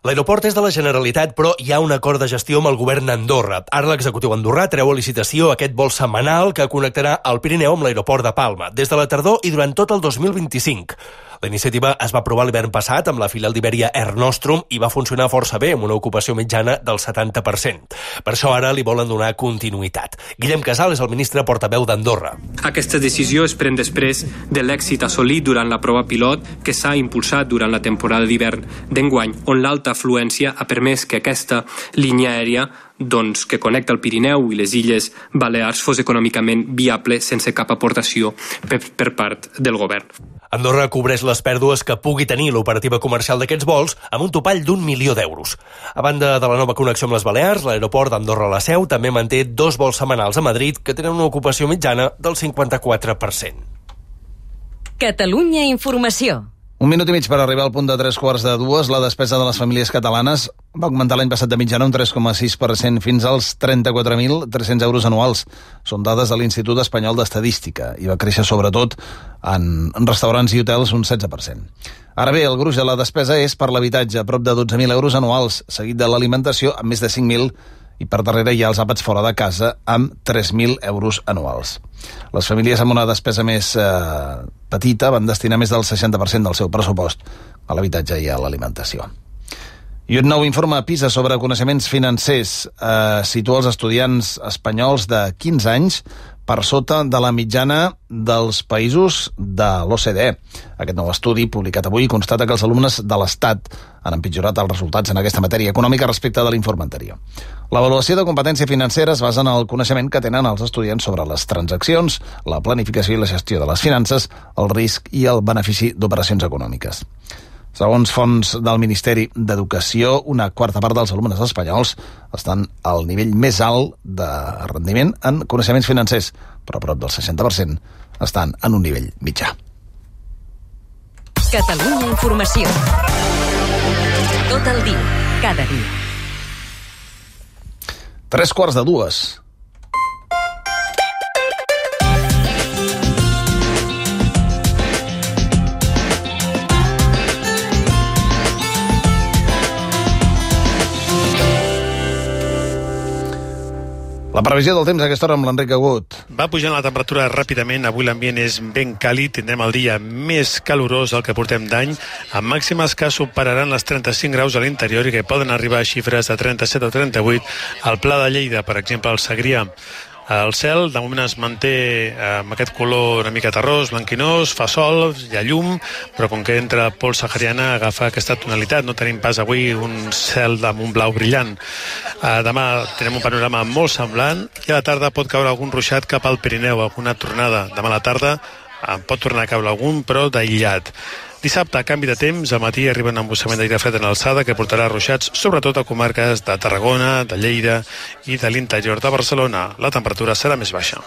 L'aeroport és de la Generalitat, però hi ha un acord de gestió amb el govern d'Andorra. Ara l'executiu andorrà treu a licitació aquest vol setmanal que connectarà el Pirineu amb l'aeroport de Palma, des de la tardor i durant tot el dos mil vint-i-cinc. La iniciativa es va aprovar l'hivern passat amb la filial d'Iberia Air Nostrum i va funcionar força bé, amb una ocupació mitjana del setanta per cent. Per això ara li volen donar continuïtat. Guillem Casal és el ministre portaveu d'Andorra. Aquesta decisió es pren després de l'èxit assolit durant la prova pilot que s'ha impulsat durant la temporada d'hivern d'enguany, on l'alta afluència ha permès que aquesta línia aèria doncs, que connecta el Pirineu i les Illes Balears fos econòmicament viable sense cap aportació per, per part del govern. Andorra cobreix les pèrdues que pugui tenir l'operativa comercial d'aquests vols amb un topall d'un milió d'euros. A banda de la nova connexió amb les Balears, l'aeroport d'Andorra-La Seu també manté dos vols setmanals a Madrid que tenen una ocupació mitjana del cinquanta-quatre per cent. Catalunya Informació. Un minut i mig per arribar al punt de tres quarts de dues. La despesa de les famílies catalanes va augmentar l'any passat de mitjana un tres coma sis per cent fins als trenta-quatre mil tres-cents euros anuals. Són dades de l'Institut Espanyol d'Estadística i va créixer sobretot en restaurants i hotels un setze per cent. Ara bé, el gruix de la despesa és per l'habitatge, a prop de dotze mil euros anuals, seguit de l'alimentació amb més de cinc mil i per darrere hi ha els àpats fora de casa amb tres mil euros anuals. Les famílies amb una despesa més eh, petita van destinar més del seixanta per cent del seu pressupost a l'habitatge i a l'alimentació. I un nou informe PISA sobre coneixements financers eh, situa els estudiants espanyols de quinze anys per sota de la mitjana dels països de l'O C D E. Aquest nou estudi, publicat avui, constata que els alumnes de l'Estat han empitjorat els resultats en aquesta matèria econòmica respecte de l'informe anterior. L'avaluació de competència financera es basa en el coneixement que tenen els estudiants sobre les transaccions, la planificació i la gestió de les finances, el risc i el benefici d'operacions econòmiques. Segons fonts del Ministeri d'Educació, una quarta part dels alumnes espanyols estan al nivell més alt de rendiment en coneixements financers, però a prop del seixanta per cent estan en un nivell mitjà. Catalunya Informació. Tot el dia, cada dia. Tres quarts de dues. La previsió del temps a aquesta hora amb l'Enric Agut. Va pujant la temperatura ràpidament, avui l'ambient és ben càlid, tindrem el dia més calorós del que portem d'any, amb màximes que superaran les trenta-cinc graus a l'interior i que poden arribar a xifres de trenta-set o trenta-vuit al Pla de Lleida, per exemple, al Segrià. El cel, de moment, es manté amb aquest color una mica terrós, blanquinós, fa sol, hi ha llum, però com que entra pols sahariana agafa aquesta tonalitat. No tenim pas avui un cel amb un blau brillant. Demà tenim un panorama molt semblant i a la tarda pot caure algun ruixat cap al Pirineu, alguna tornada. Demà a la tarda pot tornar a caure algun, però d'aïllat. Dissabte, a canvi de temps, al matí arriba un embussament d'aire fred en alçada que portarà ruixats sobretot a comarques de Tarragona, de Lleida i de l'interior de Barcelona. La temperatura serà més baixa.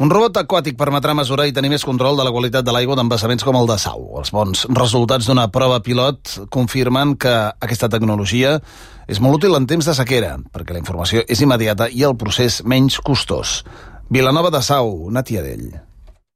Un robot aquàtic permetrà mesurar i tenir més control de la qualitat de l'aigua d'embassaments com el de Sau. Els bons resultats d'una prova pilot confirmen que aquesta tecnologia és molt útil en temps de sequera, perquè la informació és immediata i el procés menys costós. Vilanova de Sau, Nàtia Dell.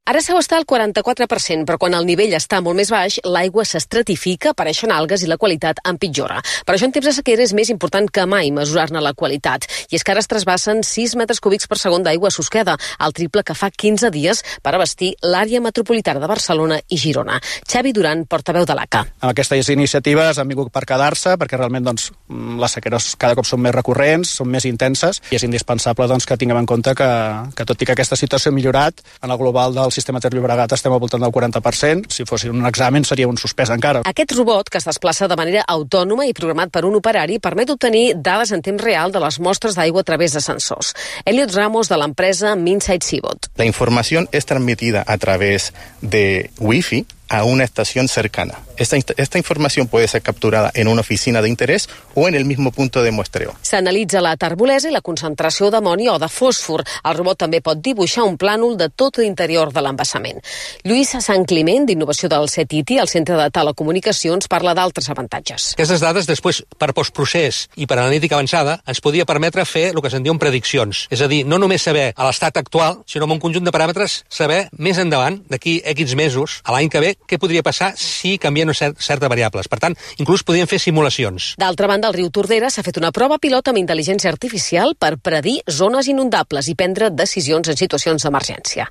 Ara Sau està al quaranta-quatre per cent, però quan el nivell està molt més baix, l'aigua s'estratifica, apareixen algues i la qualitat empitjora. Per això en temps de sequera és més important que mai mesurar-ne la qualitat. I és que ara es trasbassen sis metres cúbics per segon d'aigua a Susqueda, el triple que fa quinze dies per abastir l'àrea metropolitana de Barcelona i Girona. Xavi Duran, portaveu de l'A C A. Aquestes iniciatives han vingut per quedar-se, perquè realment doncs, les sequeres cada cop són més recurrents, són més intenses, i és indispensable doncs, que tinguem en compte que, que tot i que aquesta situació ha millorat, en el global del sistema Ter Llobregat estem al voltant del quaranta per cent. Si fos un examen seria un suspès encara. Aquest robot, que es desplaça de manera autònoma i programat per un operari, permet obtenir dades en temps real de les mostres d'aigua a través de sensors. Elliot Ramos, de l'empresa Minsight Seabot. La información es transmitida a través de Wi-Fi a una estación cercana. Esta, esta información puede ser capturada en una oficina de interés o en el mismo punto de muestreo. S'analitza la terbolesa i la concentració d'amoni o de fòsfor. El robot també pot dibuixar un plànol de tot l'interior de l'embassament. Lluís Sant Climent, d'Innovació del C E T I, el Centre de Telecomunicacions, parla d'altres avantatges. Aquestes dades, després, per postprocés i per analítica avançada, ens podia permetre fer el que se'n diuen prediccions. És a dir, no només saber a l'estat actual, sinó amb un conjunt de paràmetres, saber més endavant, d'aquí X mesos, a l'any que ve, què podria passar si canvien cert, certes variables. Per tant, inclús podríem fer simulacions. D'altra banda, al riu Tordera s'ha fet una prova pilot amb intel·ligència artificial per predir zones inundables i prendre decisions en situacions d'emergència.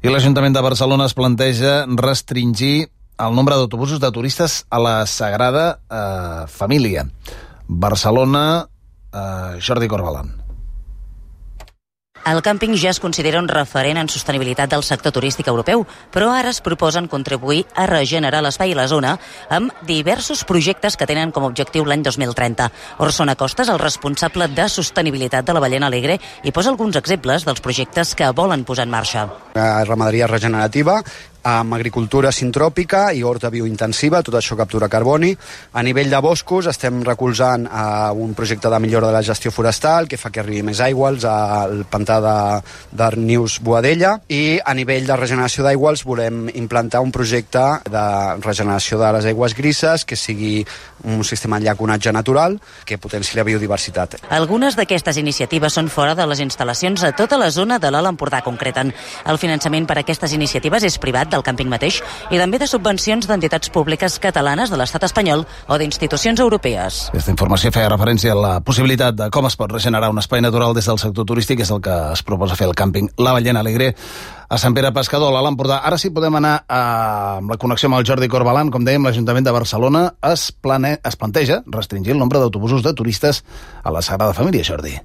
I l'Ajuntament de Barcelona es planteja restringir el nombre d'autobusos de turistes a la Sagrada eh, Família. Barcelona, eh, Jordi Corbalan. El càmping ja es considera un referent en sostenibilitat del sector turístic europeu, però ara es proposen contribuir a regenerar l'espai i la zona amb diversos projectes que tenen com a objectiu l'any dos mil trenta. Orson Acosta és el responsable de sostenibilitat de la Ballena Alegre i posa alguns exemples dels projectes que volen posar en marxa. Ramaderia regenerativa, amb agricultura sintròpica i horta biointensiva, tot això captura carboni. A nivell de boscos estem recolzant uh, un projecte de millora de la gestió forestal que fa que arribi més aigua al pantà de, de Nius Boadella, i a nivell de regeneració d'aigües volem implantar un projecte de regeneració de les aigües grises que sigui un sistema de llaconatge natural que potenciï la biodiversitat. Algunes d'aquestes iniciatives són fora de les instal·lacions a tota la zona de l'Alt Empordà, concreten. El finançament per a aquestes iniciatives és privat propietat del càmping mateix i també de subvencions d'entitats públiques catalanes de l'estat espanyol o d'institucions europees. Aquesta informació feia referència a la possibilitat de com es pot regenerar un espai natural des del sector turístic, és el que es proposa fer el càmping La Ballena Alegre a Sant Pere Pescador, a l'Empordà. Ara sí podem anar a, amb la connexió amb el Jordi Corbalan. Com dèiem, l'Ajuntament de Barcelona es, plane, es planteja restringir el nombre d'autobusos de turistes a la Sagrada Família, Jordi.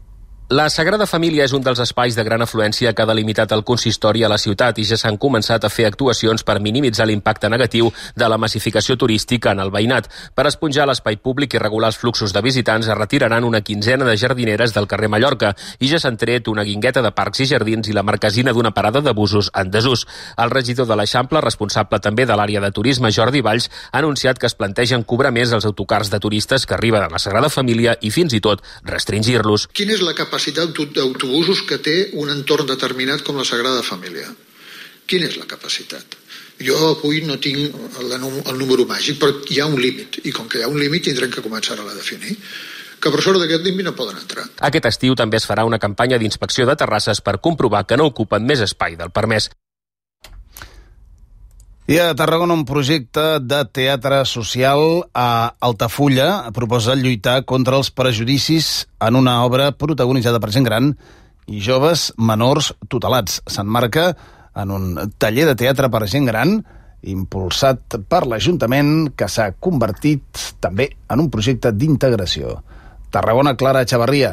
La Sagrada Família és un dels espais de gran afluència que ha delimitat el consistori a la ciutat i ja s'han començat a fer actuacions per minimitzar l'impacte negatiu de la massificació turística en el veïnat. Per esponjar l'espai públic i regular els fluxos de visitants es retiraran una quinzena de jardineres del carrer Mallorca i ja s'han tret una guingueta de parcs i jardins i la marquesina d'una parada de busos en desús. El regidor de l'Eixample, responsable també de l'àrea de turisme, Jordi Valls, ha anunciat que es plantegen cobrar més els autocars de turistes que arriben a la Sagrada Família i fins i tot restringir-los. Quina és la capacitat d'autobusos que té un entorn determinat com la Sagrada Família? Quina és la capacitat? Jo avui no tinc el, el número màgic, però hi ha un límit, i com que hi ha un límit tindrem que començar a definir que per sort d'aquest límit no poden entrar. Aquest estiu també es farà una campanya d'inspecció de terrasses per comprovar que no ocupen més espai del permès. I a Tarragona un projecte de teatre social a Altafulla proposa lluitar contra els prejudicis en una obra protagonitzada per gent gran i joves menors tutelats. S'emmarca en un taller de teatre per gent gran impulsat per l'Ajuntament que s'ha convertit també en un projecte d'integració. Tarragona, Clara Echavarria.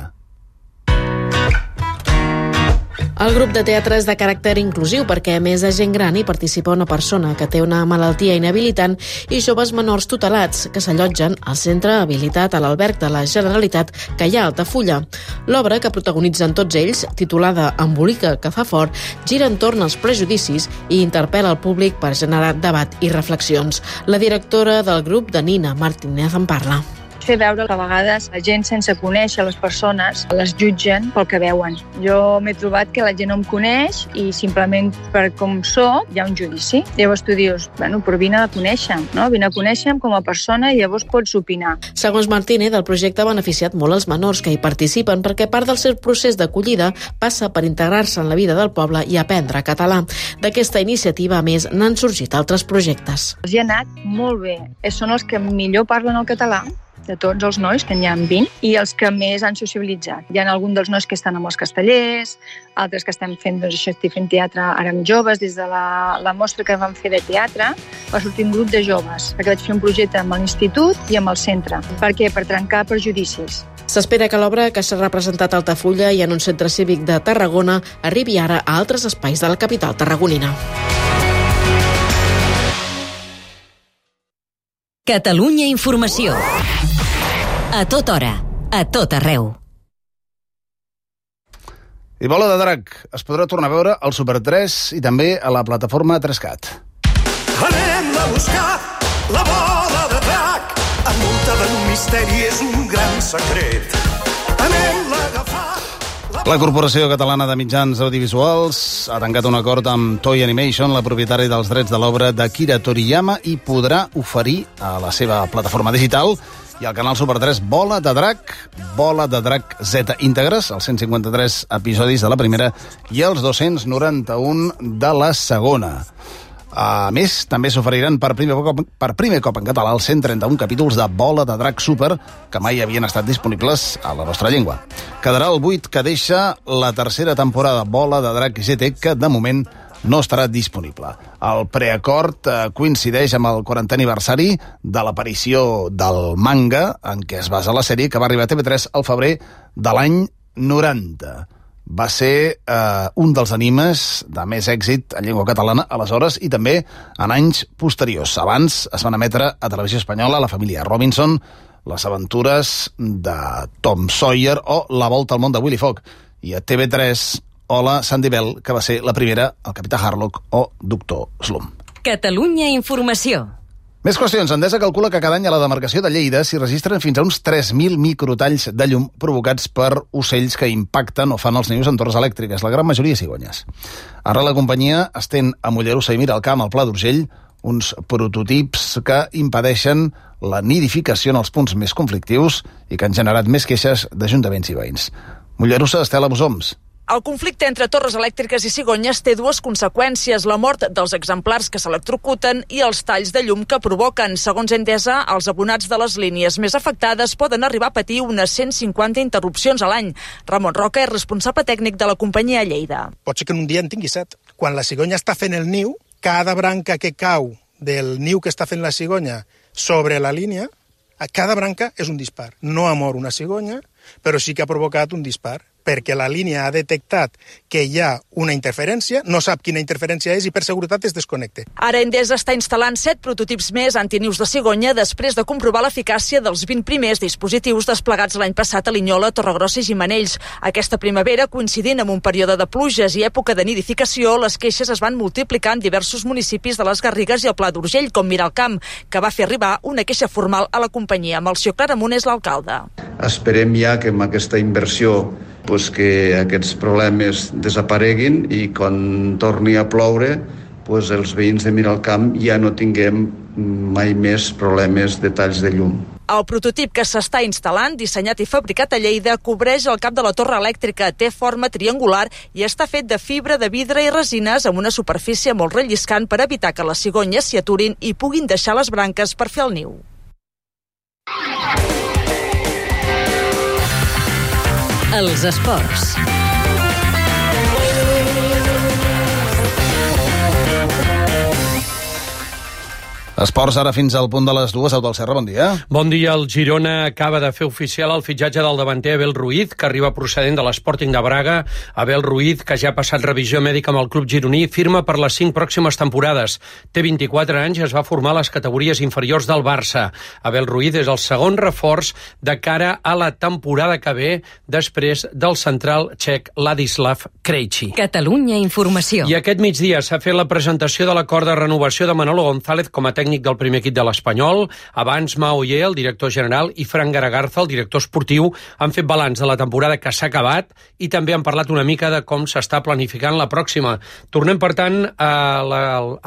El grup de teatre és de caràcter inclusiu perquè, a més de gent gran, hi participa una persona que té una malaltia inhabilitant i joves menors tutelats que s'allotgen al centre habilitat a l'alberg de la Generalitat que hi ha a Altafulla. L'obra, que protagonitzen tots ells, titulada Embolica que fa fort, gira entorn als prejudicis i interpel·la el públic per generar debat i reflexions. La directora del grup, Danina Martínez, en parla. Fer veure que a vegades la gent sense conèixer les persones les jutgen pel que veuen. Jo m'he trobat que la gent no em coneix i simplement per com soc hi ha un judici. Llavors tu dius, bueno, però vine a conèixer-me, no? Vine a conèixer-me com a persona i llavors pots opinar. Segons Martínez, el projecte ha beneficiat molt els menors que hi participen perquè part del seu procés d'acollida passa per integrar-se en la vida del poble i aprendre català. D'aquesta iniciativa, a més, n'han sorgit altres projectes. Els hi ha anat molt bé. Són els que millor parlen el català, de tots els nois, que n'hi ha vint, i els que més han sociabilitzat. Hi ha alguns dels nois que estan amb els castellers, altres que estem fent, doncs, això, estic fent teatre ara amb joves. Des de la, la mostra que vam fer de teatre va sortir un grup de joves, perquè vaig fer un projecte amb l'institut i amb el centre. Per què? Per trencar prejudicis. S'espera que l'obra, que s'ha representat a Altafulla i en un centre cívic de Tarragona, arribi ara a altres espais de la capital tarragonina. Catalunya Informació. A tota hora, a tot arreu. I Bola de Drac es podrà tornar a veure al Super tres i també a la plataforma tres cat. Anem a buscar la bola de drac, envoltada d'un misteri, és un gran secret. Anem-la a agafar. La Corporació Catalana de Mitjans Audiovisuals ha tancat un acord amb Toei Animation, la propietària dels drets de l'obra d'Akira Toriyama, i podrà oferir a la seva plataforma digital i al canal Super tres Bola de Drac, Bola de Drac Z íntegres, els cent cinquanta-tres episodis de la primera i els dos-cents noranta-un de la segona. A més, també s'oferiran per primer cop, per primer cop en català els cent trenta-un capítols de Bola de Drac Super, que mai havien estat disponibles a la nostra llengua. Quedarà el buit que deixa la tercera temporada Bola de Drac G T, que de moment no estarà disponible. El preacord eh, coincideix amb el quarantè aniversari de l'aparició del manga en què es basa la sèrie, que va arribar a T V tres al febrer de l'any noranta. Va ser eh, un dels animes de més èxit en llengua catalana aleshores i també en anys posteriors. Abans es van emetre a Televisió Espanyola La família Robinson, Les aventures de Tom Sawyer o La volta al món de Willy Fogg. I a T V tres, Hola, Sandy Bell, que va ser la primera, el capità Harlock o Doctor Slump. Catalunya Informació. Més qüestions. Endesa calcula que cada any a la demarcació de Lleida s'hi registren fins a uns tres mil microtalls de llum provocats per ocells que impacten o fan els nius en torres elèctriques, la gran majoria cigonyes. Ara la companyia estén a Mollerussa i Miralcamp, al Pla d'Urgell, uns prototips que impedeixen la nidificació en els punts més conflictius i que han generat més queixes d'ajuntaments i veïns. Mollerussa, Estela Bosoms. El conflicte entre torres elèctriques i cigonyes té dues conseqüències, la mort dels exemplars que s'electrocuten i els talls de llum que provoquen. Segons Endesa, els abonats de les línies més afectades poden arribar a patir unes cent cinquanta interrupcions a l'any. Ramon Roca és responsable tècnic de la companyia a Lleida. Pot ser que en un dia en tingui set. Quan la cigonya està fent el niu, cada branca que cau del niu que està fent la cigonya sobre la línia, a cada branca és un dispar. No ha mort una cigonya, però sí que ha provocat un dispar, perquè la línia ha detectat que hi ha una interferència, no sap quina interferència és i per seguretat es desconnecta. Ara Endesa està instal·lant set prototips més antinius de cigonya després de comprovar l'eficàcia dels vint primers dispositius desplegats l'any passat a Linyola, Torregrossa i Gimenells. Aquesta primavera, coincidint amb un període de pluges i època de nidificació, les queixes es van multiplicar en diversos municipis de les Garrigues i el Pla d'Urgell, com Miralcamp, que va fer arribar una queixa formal a la companyia. Melcior Claramunt és l'alcalde. Esperem ja que amb aquesta inversió pues que aquests problemes desapareguin i quan torni a ploure pues els veïns de Miralcamp ja no tinguem mai més problemes de talls de llum. El prototip que s'està instal·lant, dissenyat i fabricat a Lleida, cobreix el cap de la torre elèctrica, té forma triangular i està fet de fibra de vidre i resines amb una superfície molt relliscant per evitar que les cigonyes s'hi aturin i puguin deixar les branques per fer el niu. Els esports. Esports ara fins al punt de les dues. Eudald Serra, bon dia. Bon dia. El Girona acaba de fer oficial el fitxatge del davanter Abel Ruiz, que arriba procedent de l'Sporting de Braga. Abel Ruiz, que ja ha passat revisió mèdica amb el club gironí, firma per les cinc pròximes temporades. Té vint-i-quatre anys i es va formar a les categories inferiors del Barça. Abel Ruiz és el segon reforç de cara a la temporada que ve, després del central txec Ladislav Krejci. Catalunya Informació. I aquest migdia s'ha fet la presentació de l'acord de renovació de Manolo González com a tècnic del primer equip de l'Espanyol. Abans, Mao Oller, el director general, i Fran Garagarza, el director esportiu, han fet balanç de la temporada que s'ha acabat i també han parlat una mica de com s'està planificant la pròxima. Tornem, per tant, a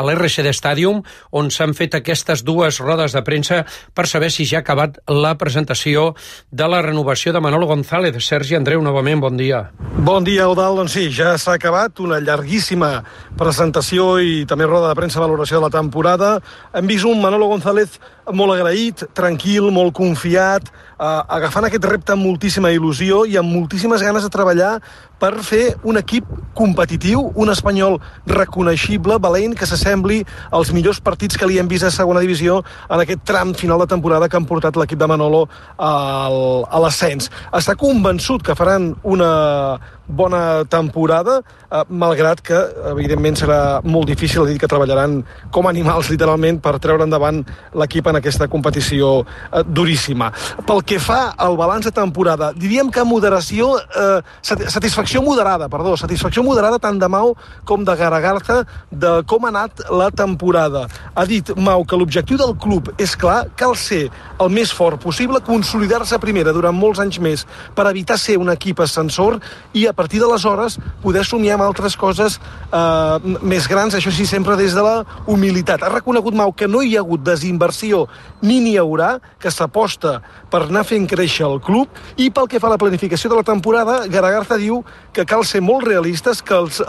l'R C D Stadium, on s'han fet aquestes dues rodes de premsa per saber si ja ha acabat la presentació de la renovació de Manolo González. Sergi Andreu, novament, bon dia. Bon dia, Eudald. Doncs sí, ja s'ha acabat una llarguíssima presentació i també roda de premsa valoració de la temporada. Hem vist un Manolo González molt agraït, tranquil, molt confiat, eh, agafant aquest repte amb moltíssima il·lusió i amb moltíssimes ganes de treballar per fer un equip competitiu, un Espanyol reconeixible, valent, que s'assembli als millors partits que li hem vist a segona divisió en aquest tram final de temporada que han portat l'equip de Manolo al, a l'ascens. Està convençut que faran una bona temporada, eh, malgrat que, evidentment, serà molt difícil, ha dit que treballaran com animals, literalment, per treure endavant l'equip en aquesta competició eh, duríssima. Pel que fa al balanç de temporada, diríem que moderació, eh, satisfacció moderada, perdó, satisfacció moderada tant de Mau com de Garagarza de com ha anat la temporada. Ha dit Mau que l'objectiu del club és clar, cal ser el més fort possible, consolidar-se a primera durant molts anys més per evitar ser un equip ascensor i a partir d'aleshores poder somiar amb altres coses eh, més grans, això sí, sempre des de la humilitat. Ha reconegut Mau que no hi ha hagut desinversió ni n'hi haurà, que s'aposta per anar fent créixer el club, i pel que fa a la planificació de la temporada, Garagarza diu que cal ser molt realistes, que els eh,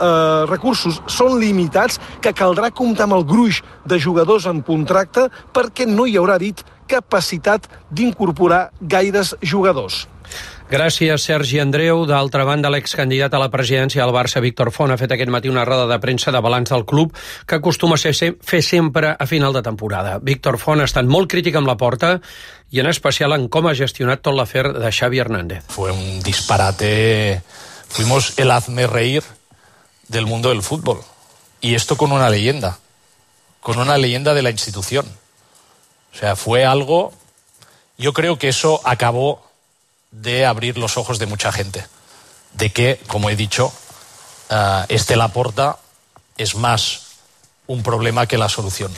recursos són limitats, que caldrà comptar amb el gruix de jugadors en contracte perquè no hi haurà, dit, capacitat d'incorporar gaires jugadors. Gràcies, Sergi Andreu. D'altra banda, l'excandidat a la presidència del Barça, Víctor Font, ha fet aquest matí una roda de premsa de balanç del club que acostuma a ser, fer sempre a final de temporada. Víctor Font ha estat molt crític amb la porta i en especial en com ha gestionat tot l'afer de Xavi Hernández. Fue un disparate. Fuimos el hazmerreír del mundo del fútbol. Y esto con una leyenda. Con una leyenda de la institución. O sea, fue algo... Yo creo que eso acabó de abrir los ojos de mucha gente, de que, como he dicho, uh, este Laporta es más un problema que la solució.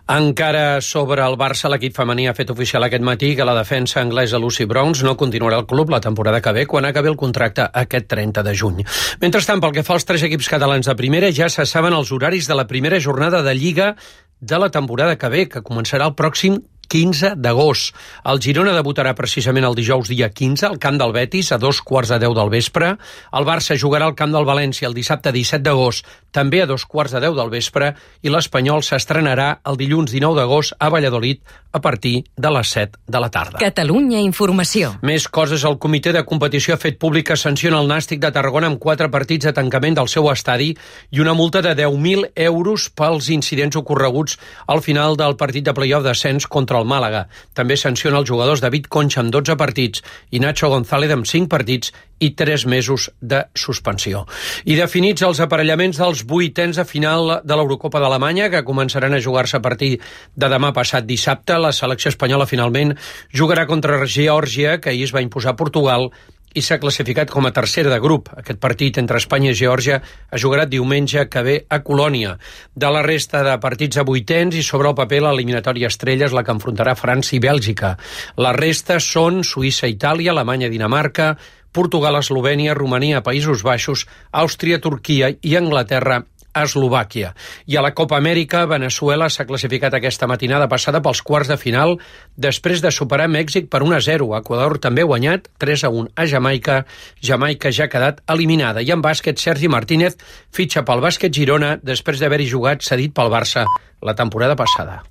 Encara sobre el Barça, l'equip femení ha fet oficial aquest matí que la defensa anglesa Lucy Bronze no continuarà al club la temporada que ve quan acabi el contracte aquest trenta de juny. Mentrestant, pel que fa als tres equips catalans de primera, ja se saben els horaris de la primera jornada de Lliga de la temporada que ve, que començarà el pròxim quinze d'agost. El Girona debutarà precisament el dijous dia quinze al camp del Betis a dos quarts de deu del vespre. El Barça jugarà al camp del València el dissabte disset d'agost, també a dos quarts de deu del vespre, i l'Espanyol s'estrenarà el dilluns dinou d'agost a Valladolid a partir de les set de la tarda. Catalunya Informació. Més coses. El comitè de competició ha fet pública sanciona el Nàstic de Tarragona amb quatre partits de tancament del seu estadi i una multa de deu mil euros pels incidents ocorreguts al final del partit de play-off d'ascens contra el Màlaga. També sanciona els jugadors David Concha amb dotze partits i Nacho González amb cinc partits i tres mesos de suspensió. I definits els aparellaments dels vuitens de final de l'Eurocopa d'Alemanya, que començaran a jugar-se a partir de demà passat dissabte. La selecció espanyola finalment jugarà contra Geòrgia, que ahir es va imposar a Portugal, i s'ha classificat com a tercera de grup. Aquest partit entre Espanya i Geòrgia es jugarà diumenge que ve a Colònia. De la resta de partits a vuitens i sobre el paper l'eliminatòria estrella és la que enfrontarà França i Bèlgica. La resta són Suïssa, Itàlia, Alemanya, Dinamarca, Portugal, Eslovènia, Romania, Països Baixos, Àustria, Turquia i Anglaterra, a Eslovàquia. I a la Copa Amèrica, Veneçuela s'ha classificat aquesta matinada passada pels quarts de final després de superar Mèxic per un a zero. Equador també ha guanyat tres a un a Jamaica. Jamaica ja ha quedat eliminada. I en bàsquet, Sergi Martínez fitxa pel Bàsquet Girona després d'haver-hi jugat cedit pel Barça la temporada passada.